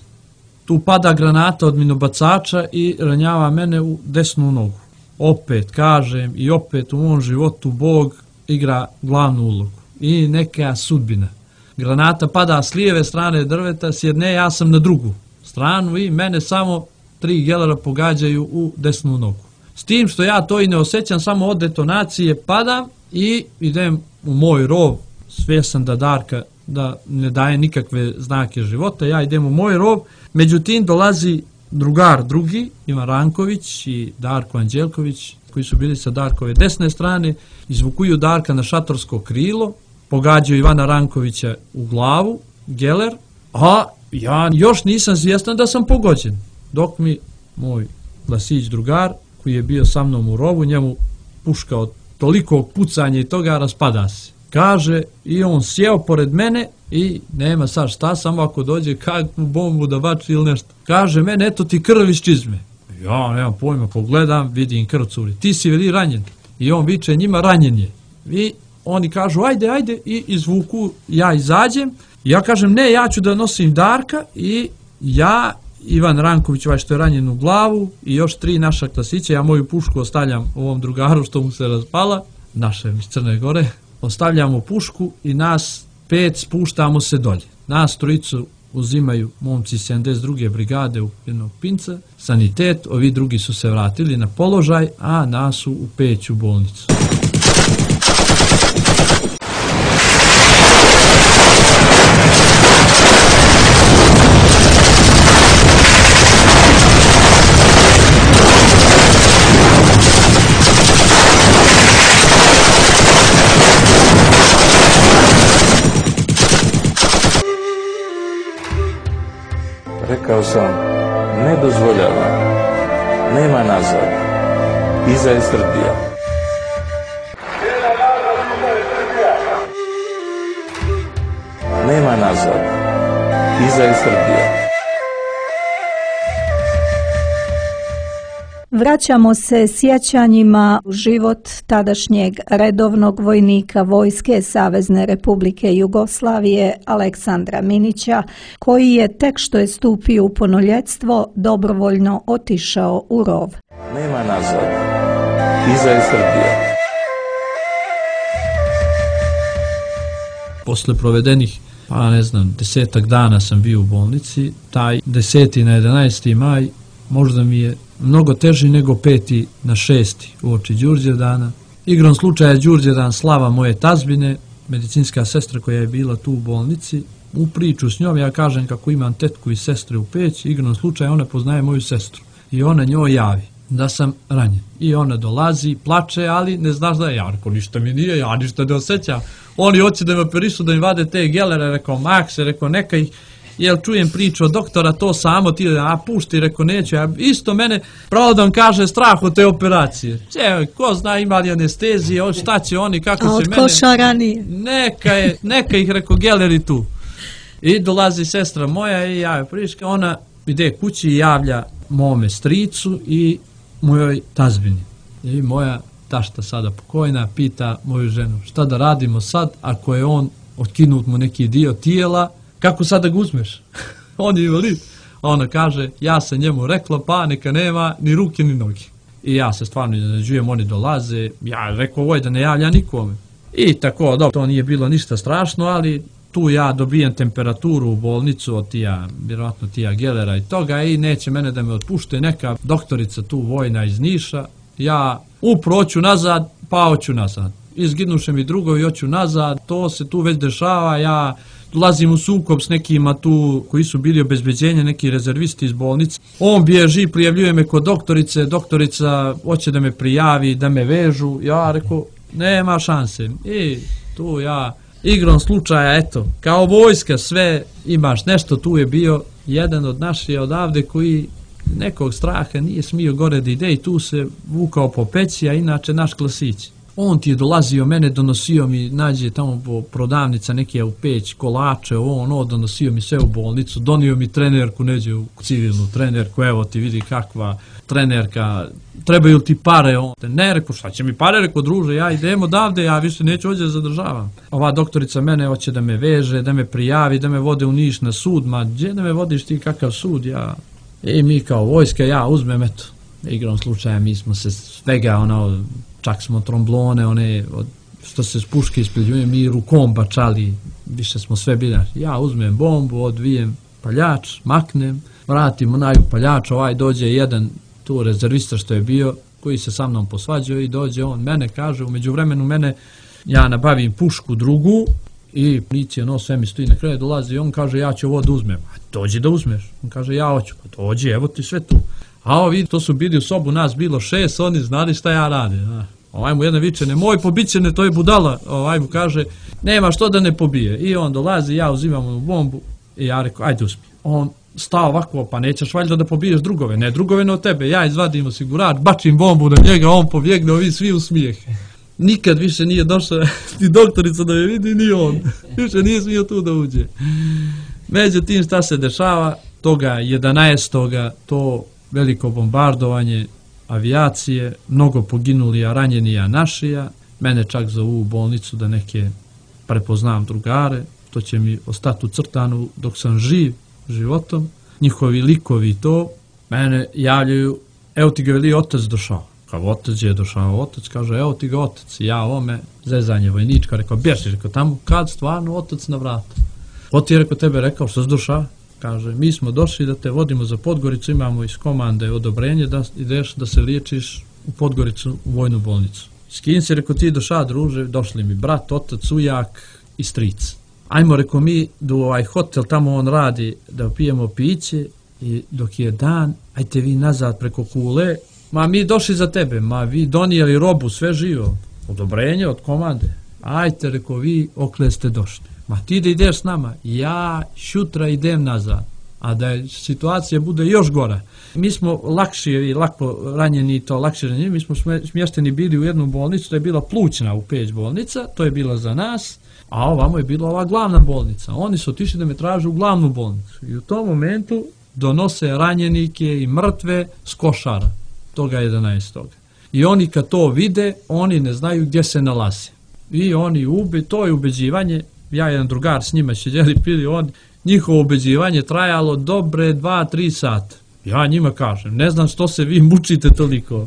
Tu pada granata od minobacača i ranjava mene u desnu nogu. Opet kažem i opet u mom životu Bog igra glavnu ulogu. I neka sudbina. Granata pada s lijeve strane drveta, s jedne ja sam na drugu stranu i mene samo 3 gelera pogađaju u desnu nogu. S tim što ja to i ne osjećam, samo od detonacije padam i idem u moj rov, svjestan da Darka da ne daje nikakve znake života, ja idem u moj rov, međutim dolazi drugar drugi, Ivan Ranković i Darko Anđelković, koji su bili sa Darkove desne strane, izvukuju Darka na šatorsko krilo, pogađaju Ivana Rankovića u glavu, geler, a ja još nisam svjestan da sam pogođen. Dok mi moj klasić drugar, koji je bio sa mnom u rovu, njemu puška od tolikog pucanja i toga raspada se. Kaže, i on sjeo pored mene i nema sad šta, samo ako dođe kakvu bombu da bači ili nešto. Kaže, mene, eto ti krv iz čizme. Ja nemam pojma, pogledam, vidim krv curi. Ti si veli ranjen. I on viče njima, ranjen je. I oni kažu, ajde, i izvuku, ja izađem. Ja kažem, ne, ja ću da nosim Darka i ja, Ivan Ranković, ovaj što je ranjen u glavu i još 3 naša klasića, ja moju pušku ostavljam ovom drugaru što mu se raspala, našem iz Crne Gore, ostavljamo pušku i nas 5 spuštamo se dolje. Nas 3 uzimaju momci 72. brigade u jednog pinca, sanitet, ovi drugi su se vratili na položaj, a nas su u Peću bolnicu. Rekao sam, ne dozvoljavam, nema nazad, iza je Srbija. Nema nazad, iza je Srbija. Vraćamo se sjećanjima u život tadašnjeg redovnog vojnika Vojske Savezne Republike Jugoslavije Aleksandra Minića, koji je tek što je stupio u punoljetstvo dobrovoljno otišao u rov. Nema nazad, iza je Srbija. Posle provedenih, 10 dana sam bio u bolnici, taj 10. na 11. maj možda mi je mnogo teži nego 5. na 6. uoči Đurđevdana. Igrom slučaja Đurđevdan slava moje tazbine, medicinska sestra koja je bila tu u bolnici, u priču s njom ja kažem kako imam tetku i sestre u Peći, igrom slučaja ona poznaje moju sestru i ona njoj javi da sam ranjen. I ona dolazi, plače, ali ne znaš da je, ja rekao, ništa mi nije, ja ništa ne osjećam. Oni hoće da me operišu, da mi vade te gelere, rekao, makse, rekao, neka ih, jel čujem priču od doktora, to samo ti, pušti, rekao, neću, isto mene, pravo da vam kaže, strah od te operacije. Ko zna, ima li anestezije, šta će oni, kako će mene... A od košara nije. Neka ih, rekao, geleri tu. I dolazi sestra moja i ja je priška, ona ide kući i javlja mome stricu i mojoj tazbini. I moja tašta sada pokojna pita moju ženu, šta da radimo sad ako je on otkinut mu neki dio tijela, kako sad da ga uzmeš? On je invalid. Ona kaže, ja sam njemu rekla, pa neka nema ni ruke ni noge. i ja se stvarno iznenađujem, oni dolaze, ja rekao ovoj da ne javlja nikome. I tako, dobro, to nije bilo ništa strašno, ali tu ja dobijem temperaturu u bolnicu od vjerovatno tija Gelera i toga i neće mene da me otpušte neka doktorica tu vojna iz Niša. Ja hoću nazad, pa hoću nazad. Izginuše mi drugovi, hoću nazad, to se tu već dešava, ja dolazim u sukob s nekima tu koji su bili obezbeđenje, neki rezervisti iz bolnice. On bježi, prijavljuje me kod doktorice, doktorica hoće da me prijavi, da me vežu, ja rekao, nema šanse. I tu ja igrom slučaja, eto, kao vojska sve imaš nešto, tu je bio jedan od naših odavde koji nekog straha nije smio gore da ide i tu se vukao po peći, a inače naš klasić. On ti je dolazio, mene donosio mi, nađe tamo po prodavnica neke u peć, kolače, donosio mi sve u bolnicu, donio mi trenerku, neđe u civilnu trenerku, evo ti vidi kakva trenerka, trebaju ti pare, ne rekao, šta će mi pare, rekao druže, ja idem odavde, ja više neću ovdje zadržavam. Ova doktorica mene hoće da me veže, da me prijavi, da me vode u Niš na sud, ma gdje da me vodiš ti, kakav sud, ja. I mi kao vojska, ja uzmem, eto, igrom slučaja, mi smo se svega, čak smo tromblone, što se s puške ispiljujem, mi rukom bačali, više smo sve bili. Ja uzmem bombu, odvijem paljač, maknem, vratim onaj paljač, dođe jedan tu rezervista što je bio, koji se sa mnom posvađao i dođe on mene, kaže, u međuvremenu mene, ja nabavim pušku drugu i policija, sve mi stoji na kraju, dolazi i on kaže, ja ću ovo da uzmem. Dođi da uzmeš. On kaže, ja hoću. Pa dođi, evo ti sve tu. A ovi, to su bili u sobu, nas bilo 6, oni znali šta ja radim. Ovaj mu jedan viče, nemoj pobićene, to je budala. Ovaj mu kaže, nema što da ne pobije. I on dolazi, ja uzimam mu bombu i ja rekao, ajde uzmi. On stao ovako, pa nećeš valjda da pobiješ drugove. Ne, drugove ne od tebe. Ja izvadim osigurač, bačim bombu na njega, on pobjegne, ovi svi u smijeh. Nikad više nije došao ni doktorica da je vidi, ni on. Više nije smio tu da uđe. Međutim, šta se dešava? Toga 11. to veliko bombardovanje avijacije, mnogo poginuli, a ranjenija našija. Mene čak zovu u bolnicu da neke prepoznam drugare, to će mi ostati u crtanu dok sam živ životom. Njihovi likovi to, mene javljaju, evo ti ga veli otac došao. Kao otac je došao, otac kaže, evo ti ga otac. Ja ovome, zezanje vojnička, rekao, bježi, rekao, tamo kad stvarno otac na vrata. Ko ti je rekao tebe, rekao, što si došao? Kaže, mi smo došli da te vodimo za Podgoricu, imamo iz komande odobrenje da ideš da se liječiš u Podgoricu u vojnu bolnicu. S kim si, rekao, ti došao, druže, došli mi brat, otac, ujak i stric. Ajmo, rekao, mi do ovaj hotel, tamo on radi, da pijemo piće i dok je dan, ajte vi nazad preko Kule, ma mi došli za tebe, ma vi donijeli robu, sve živo, odobrenje od komande. Ajte, rekao, vi okle ste došli. Ma ti da ideš s nama, ja šutra idem nazad, a da je situacija bude još gora. Mi smo lakši i lako ranjeni, to lakše ranjeni, mi smo smješteni bili u jednu bolnicu, to je bila plućna u Peć bolnica, to je bila za nas, a ovamo je bila ova glavna bolnica. Oni su otišli da me traže u glavnu bolnicu i u tom momentu donose ranjenike i mrtve s Košara, toga 11. I oni kad to vide, oni ne znaju gdje se nalaze. I oni to je ubeđivanje. Ja jedan drugar s njima sjedjeli, pili, njihovo ubeđivanje trajalo dobre 2-3 sata. Ja njima kažem, ne znam što se vi mučite toliko.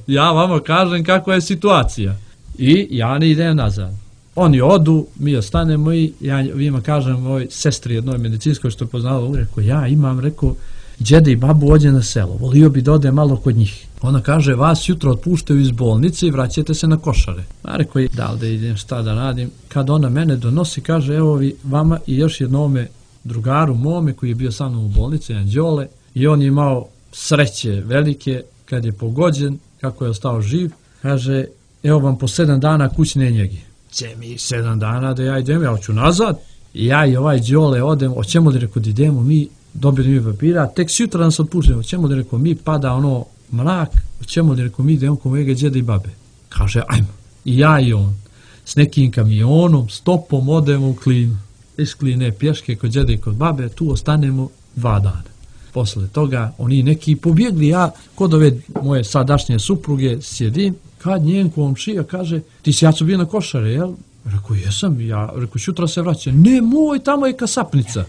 Ja vama kažem kakva je situacija. I ja ne idem nazad. Oni odu, mi ostanemo i ja njima kažem moj sestri jednoj medicinskoj što je poznala, rekao, ja imam, rekao, djede i babu ođe na selo, volio bi da ode malo kod njih. Ona kaže, vas jutro otpuštaju iz bolnice i vraćate se na Košare. A rekao, da li da idem, šta da radim? Kad ona mene donosi, kaže, evo vi vama i još jednome drugaru mome koji je bio sa mnom u bolnici, jedan Đole, i on je imao sreće velike kad je pogođen, kako je ostao živ, kaže, evo vam po 7 dana kućne njege. Če mi 7 dana da ja idem, ja hoću nazad. I ja i ovaj Đole odem, hoćemo li, rekao, da idemo mi, dobili mi papira, tek sutra nas otpuštimo, hoćemo li, rekao, mi pada mrak, hoćemo li, rekao, mi idemo kod mojega djeda i babe. Kaže, ajmo. I ja i on, s nekim kamionom, stopom odemo u Klinu. Iz Kline pješke kod djeda i kod babe, tu ostanemo 2 dana. Posle toga, oni neki pobjegli, ja kod ove moje sadašnje supruge sjedim, kad njen komšija kaže, ti si ja su bio na Košare, jel? Rekao, jesam, ja, rekao, sutra se vraća. Ne, moj, tamo je kasapnica.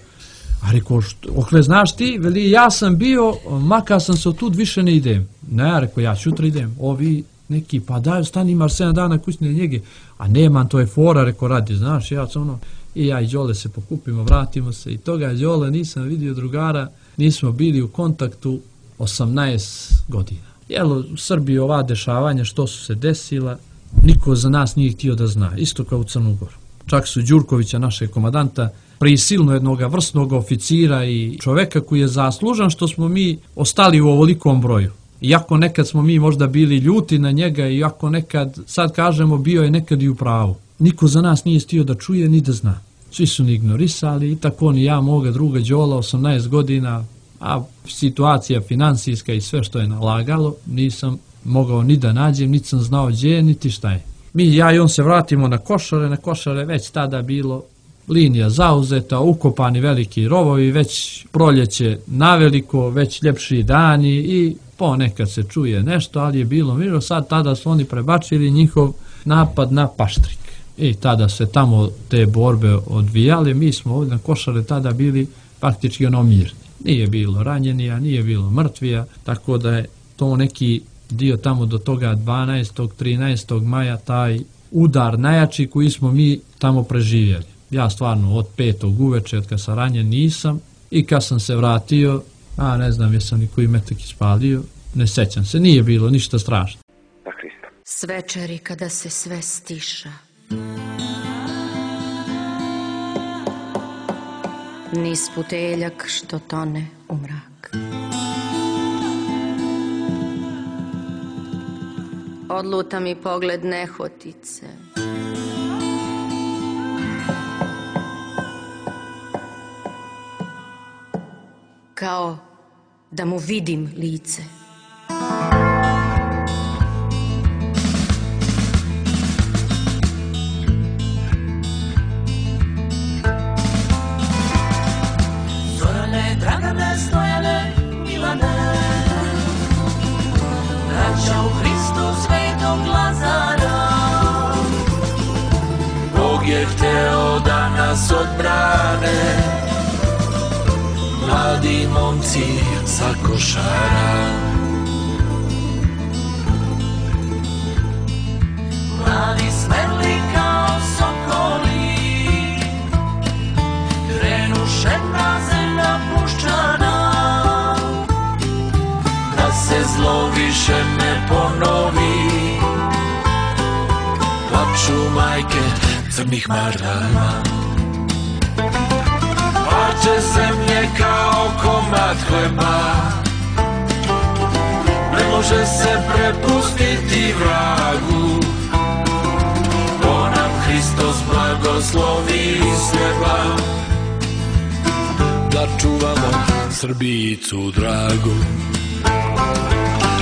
A rekao, okle znaš ti, veli, ja sam bio, makar sam se otud više ne idem. Ne, rekao, ja sutra idem. Ovi neki, pa daj, stani, imaš 7 dana kućne njege. A nemam, to je fora, rekao, radi, znaš, ja sam ono, i ja i Đole se pokupimo, vratimo se i toga Đole nisam vidio drugara, nismo bili u kontaktu 18 godina. Jel, u Srbiji ova dešavanja što su se desila, niko za nas nije htio da zna, isto kao u Crnu Goru. Čak su Đurkovića, našeg komadanta, prisilno jednog vrsnog oficira i čoveka koji je zaslužan što smo mi ostali u ovolikom broju. Iako nekad smo mi možda bili ljuti na njega, iako nekad, sad kažemo, bio je nekad i u pravu. Niko za nas nije htio da čuje ni da zna. Svi su ni ignorisali i tako ni ja, moga druga Đola, 18 godina, a situacija finansijska i sve što je nalagalo, nisam mogao ni da nađem, niti sam znao gdje, niti šta je. Mi, ja i on se vratimo na Košare već tada bilo linija zauzeta, ukopani veliki rovovi, već proljeće naveliko, već ljepši dani i ponekad se čuje nešto, ali je bilo mirno. Sad tada su oni prebačili njihov napad na Paštrik. I tada se tamo te borbe odvijale, mi smo ovdje na Košare tada bili faktički ono mirni. Nije bilo ranjenija, nije bilo mrtvija, tako da je to neki dio tamo do toga 12. 13. maja, taj udar najjači koji smo mi tamo preživjeli. Ja stvarno od 5. uveče, od kad sam ranjen, nisam, i kad sam se vratio, ne znam jesam ni koji metak ispalio, ne sećam se, nije bilo ništa strašno. S večeri kada se sve stiša, niz puteljak što tone u mrak, odluta mi pogled nehotice, kao da mu vidim lice. Zorane, Dragane, Stojane, Milane, braća u Hristu Svetog Lazara, Bog je hteo da nas odbrane, mladi momci sa Košara. Mladi smeli kao sokoli, krenuše na zemlja puščana, da se zlo više ne ponovi. Plaču majke crnih marama, parče zemlje kao komad hleba, ne može se prepustiti vragu. To nam Hristos blagoslovi s neba, da čuvamo Srbijicu dragu.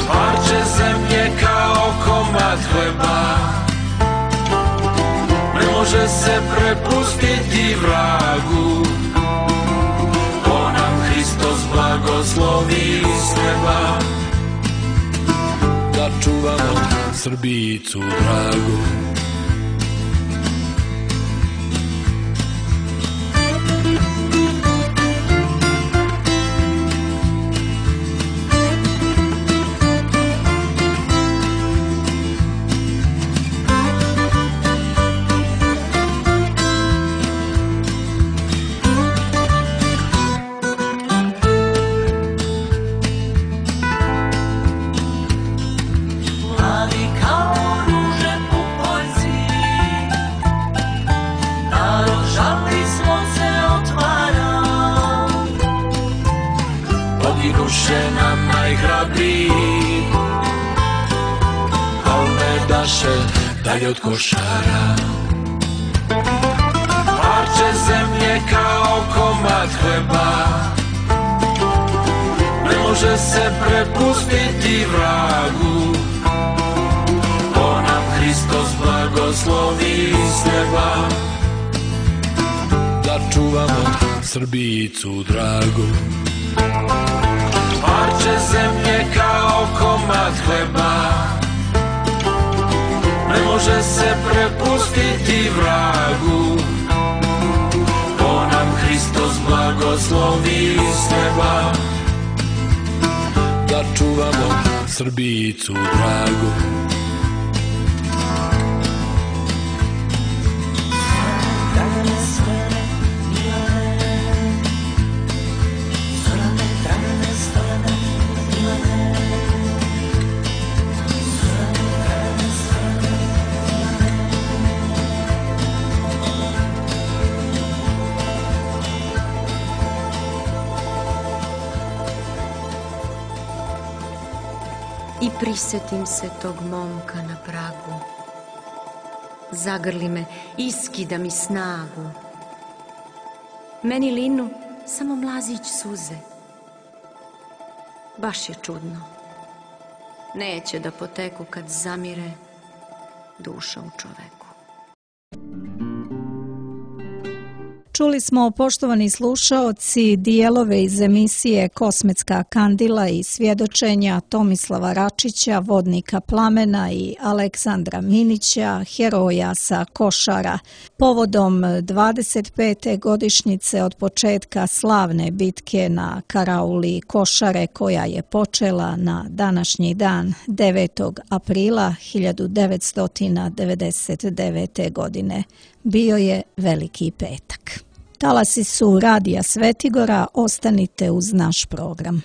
Parče zemlje kao komad hleba, ne može se prepustiti vragu. To nam Hristos blagoslovi s neba, da čuvamo Srbijicu dragu. Dalje od Košara, parče zemlje kao komad hleba, ne može se prepustiti vragu. To nam Hristos blagoslovi s neba, da čuvamo Srbijicu dragu. Parče zemlje kao komad hleba, ne može se prepustiti vragu. To nam Hristos blago blagoslovi s neba, da čuvamo Srbicu dragu. I prisetim se tog momka na pragu. Zagrli me, iskida mi snagu. Meni linu samo mlazić suze. Baš je čudno. Neće da poteku kad zamire duša u čoveku. Čuli smo, poštovani slušaoci, dijelove iz emisije Kosmetska kandila i svjedočenja Tomislava Račića, vodnika Plamena, i Aleksandra Minića, heroja sa Košara, povodom 25. godišnjice od početka slavne bitke na karauli Košare, koja je počela na današnji dan 9. aprila 1999. godine. Bio je Veliki petak. Talasi su Radija Svetigora, ostanite uz naš program.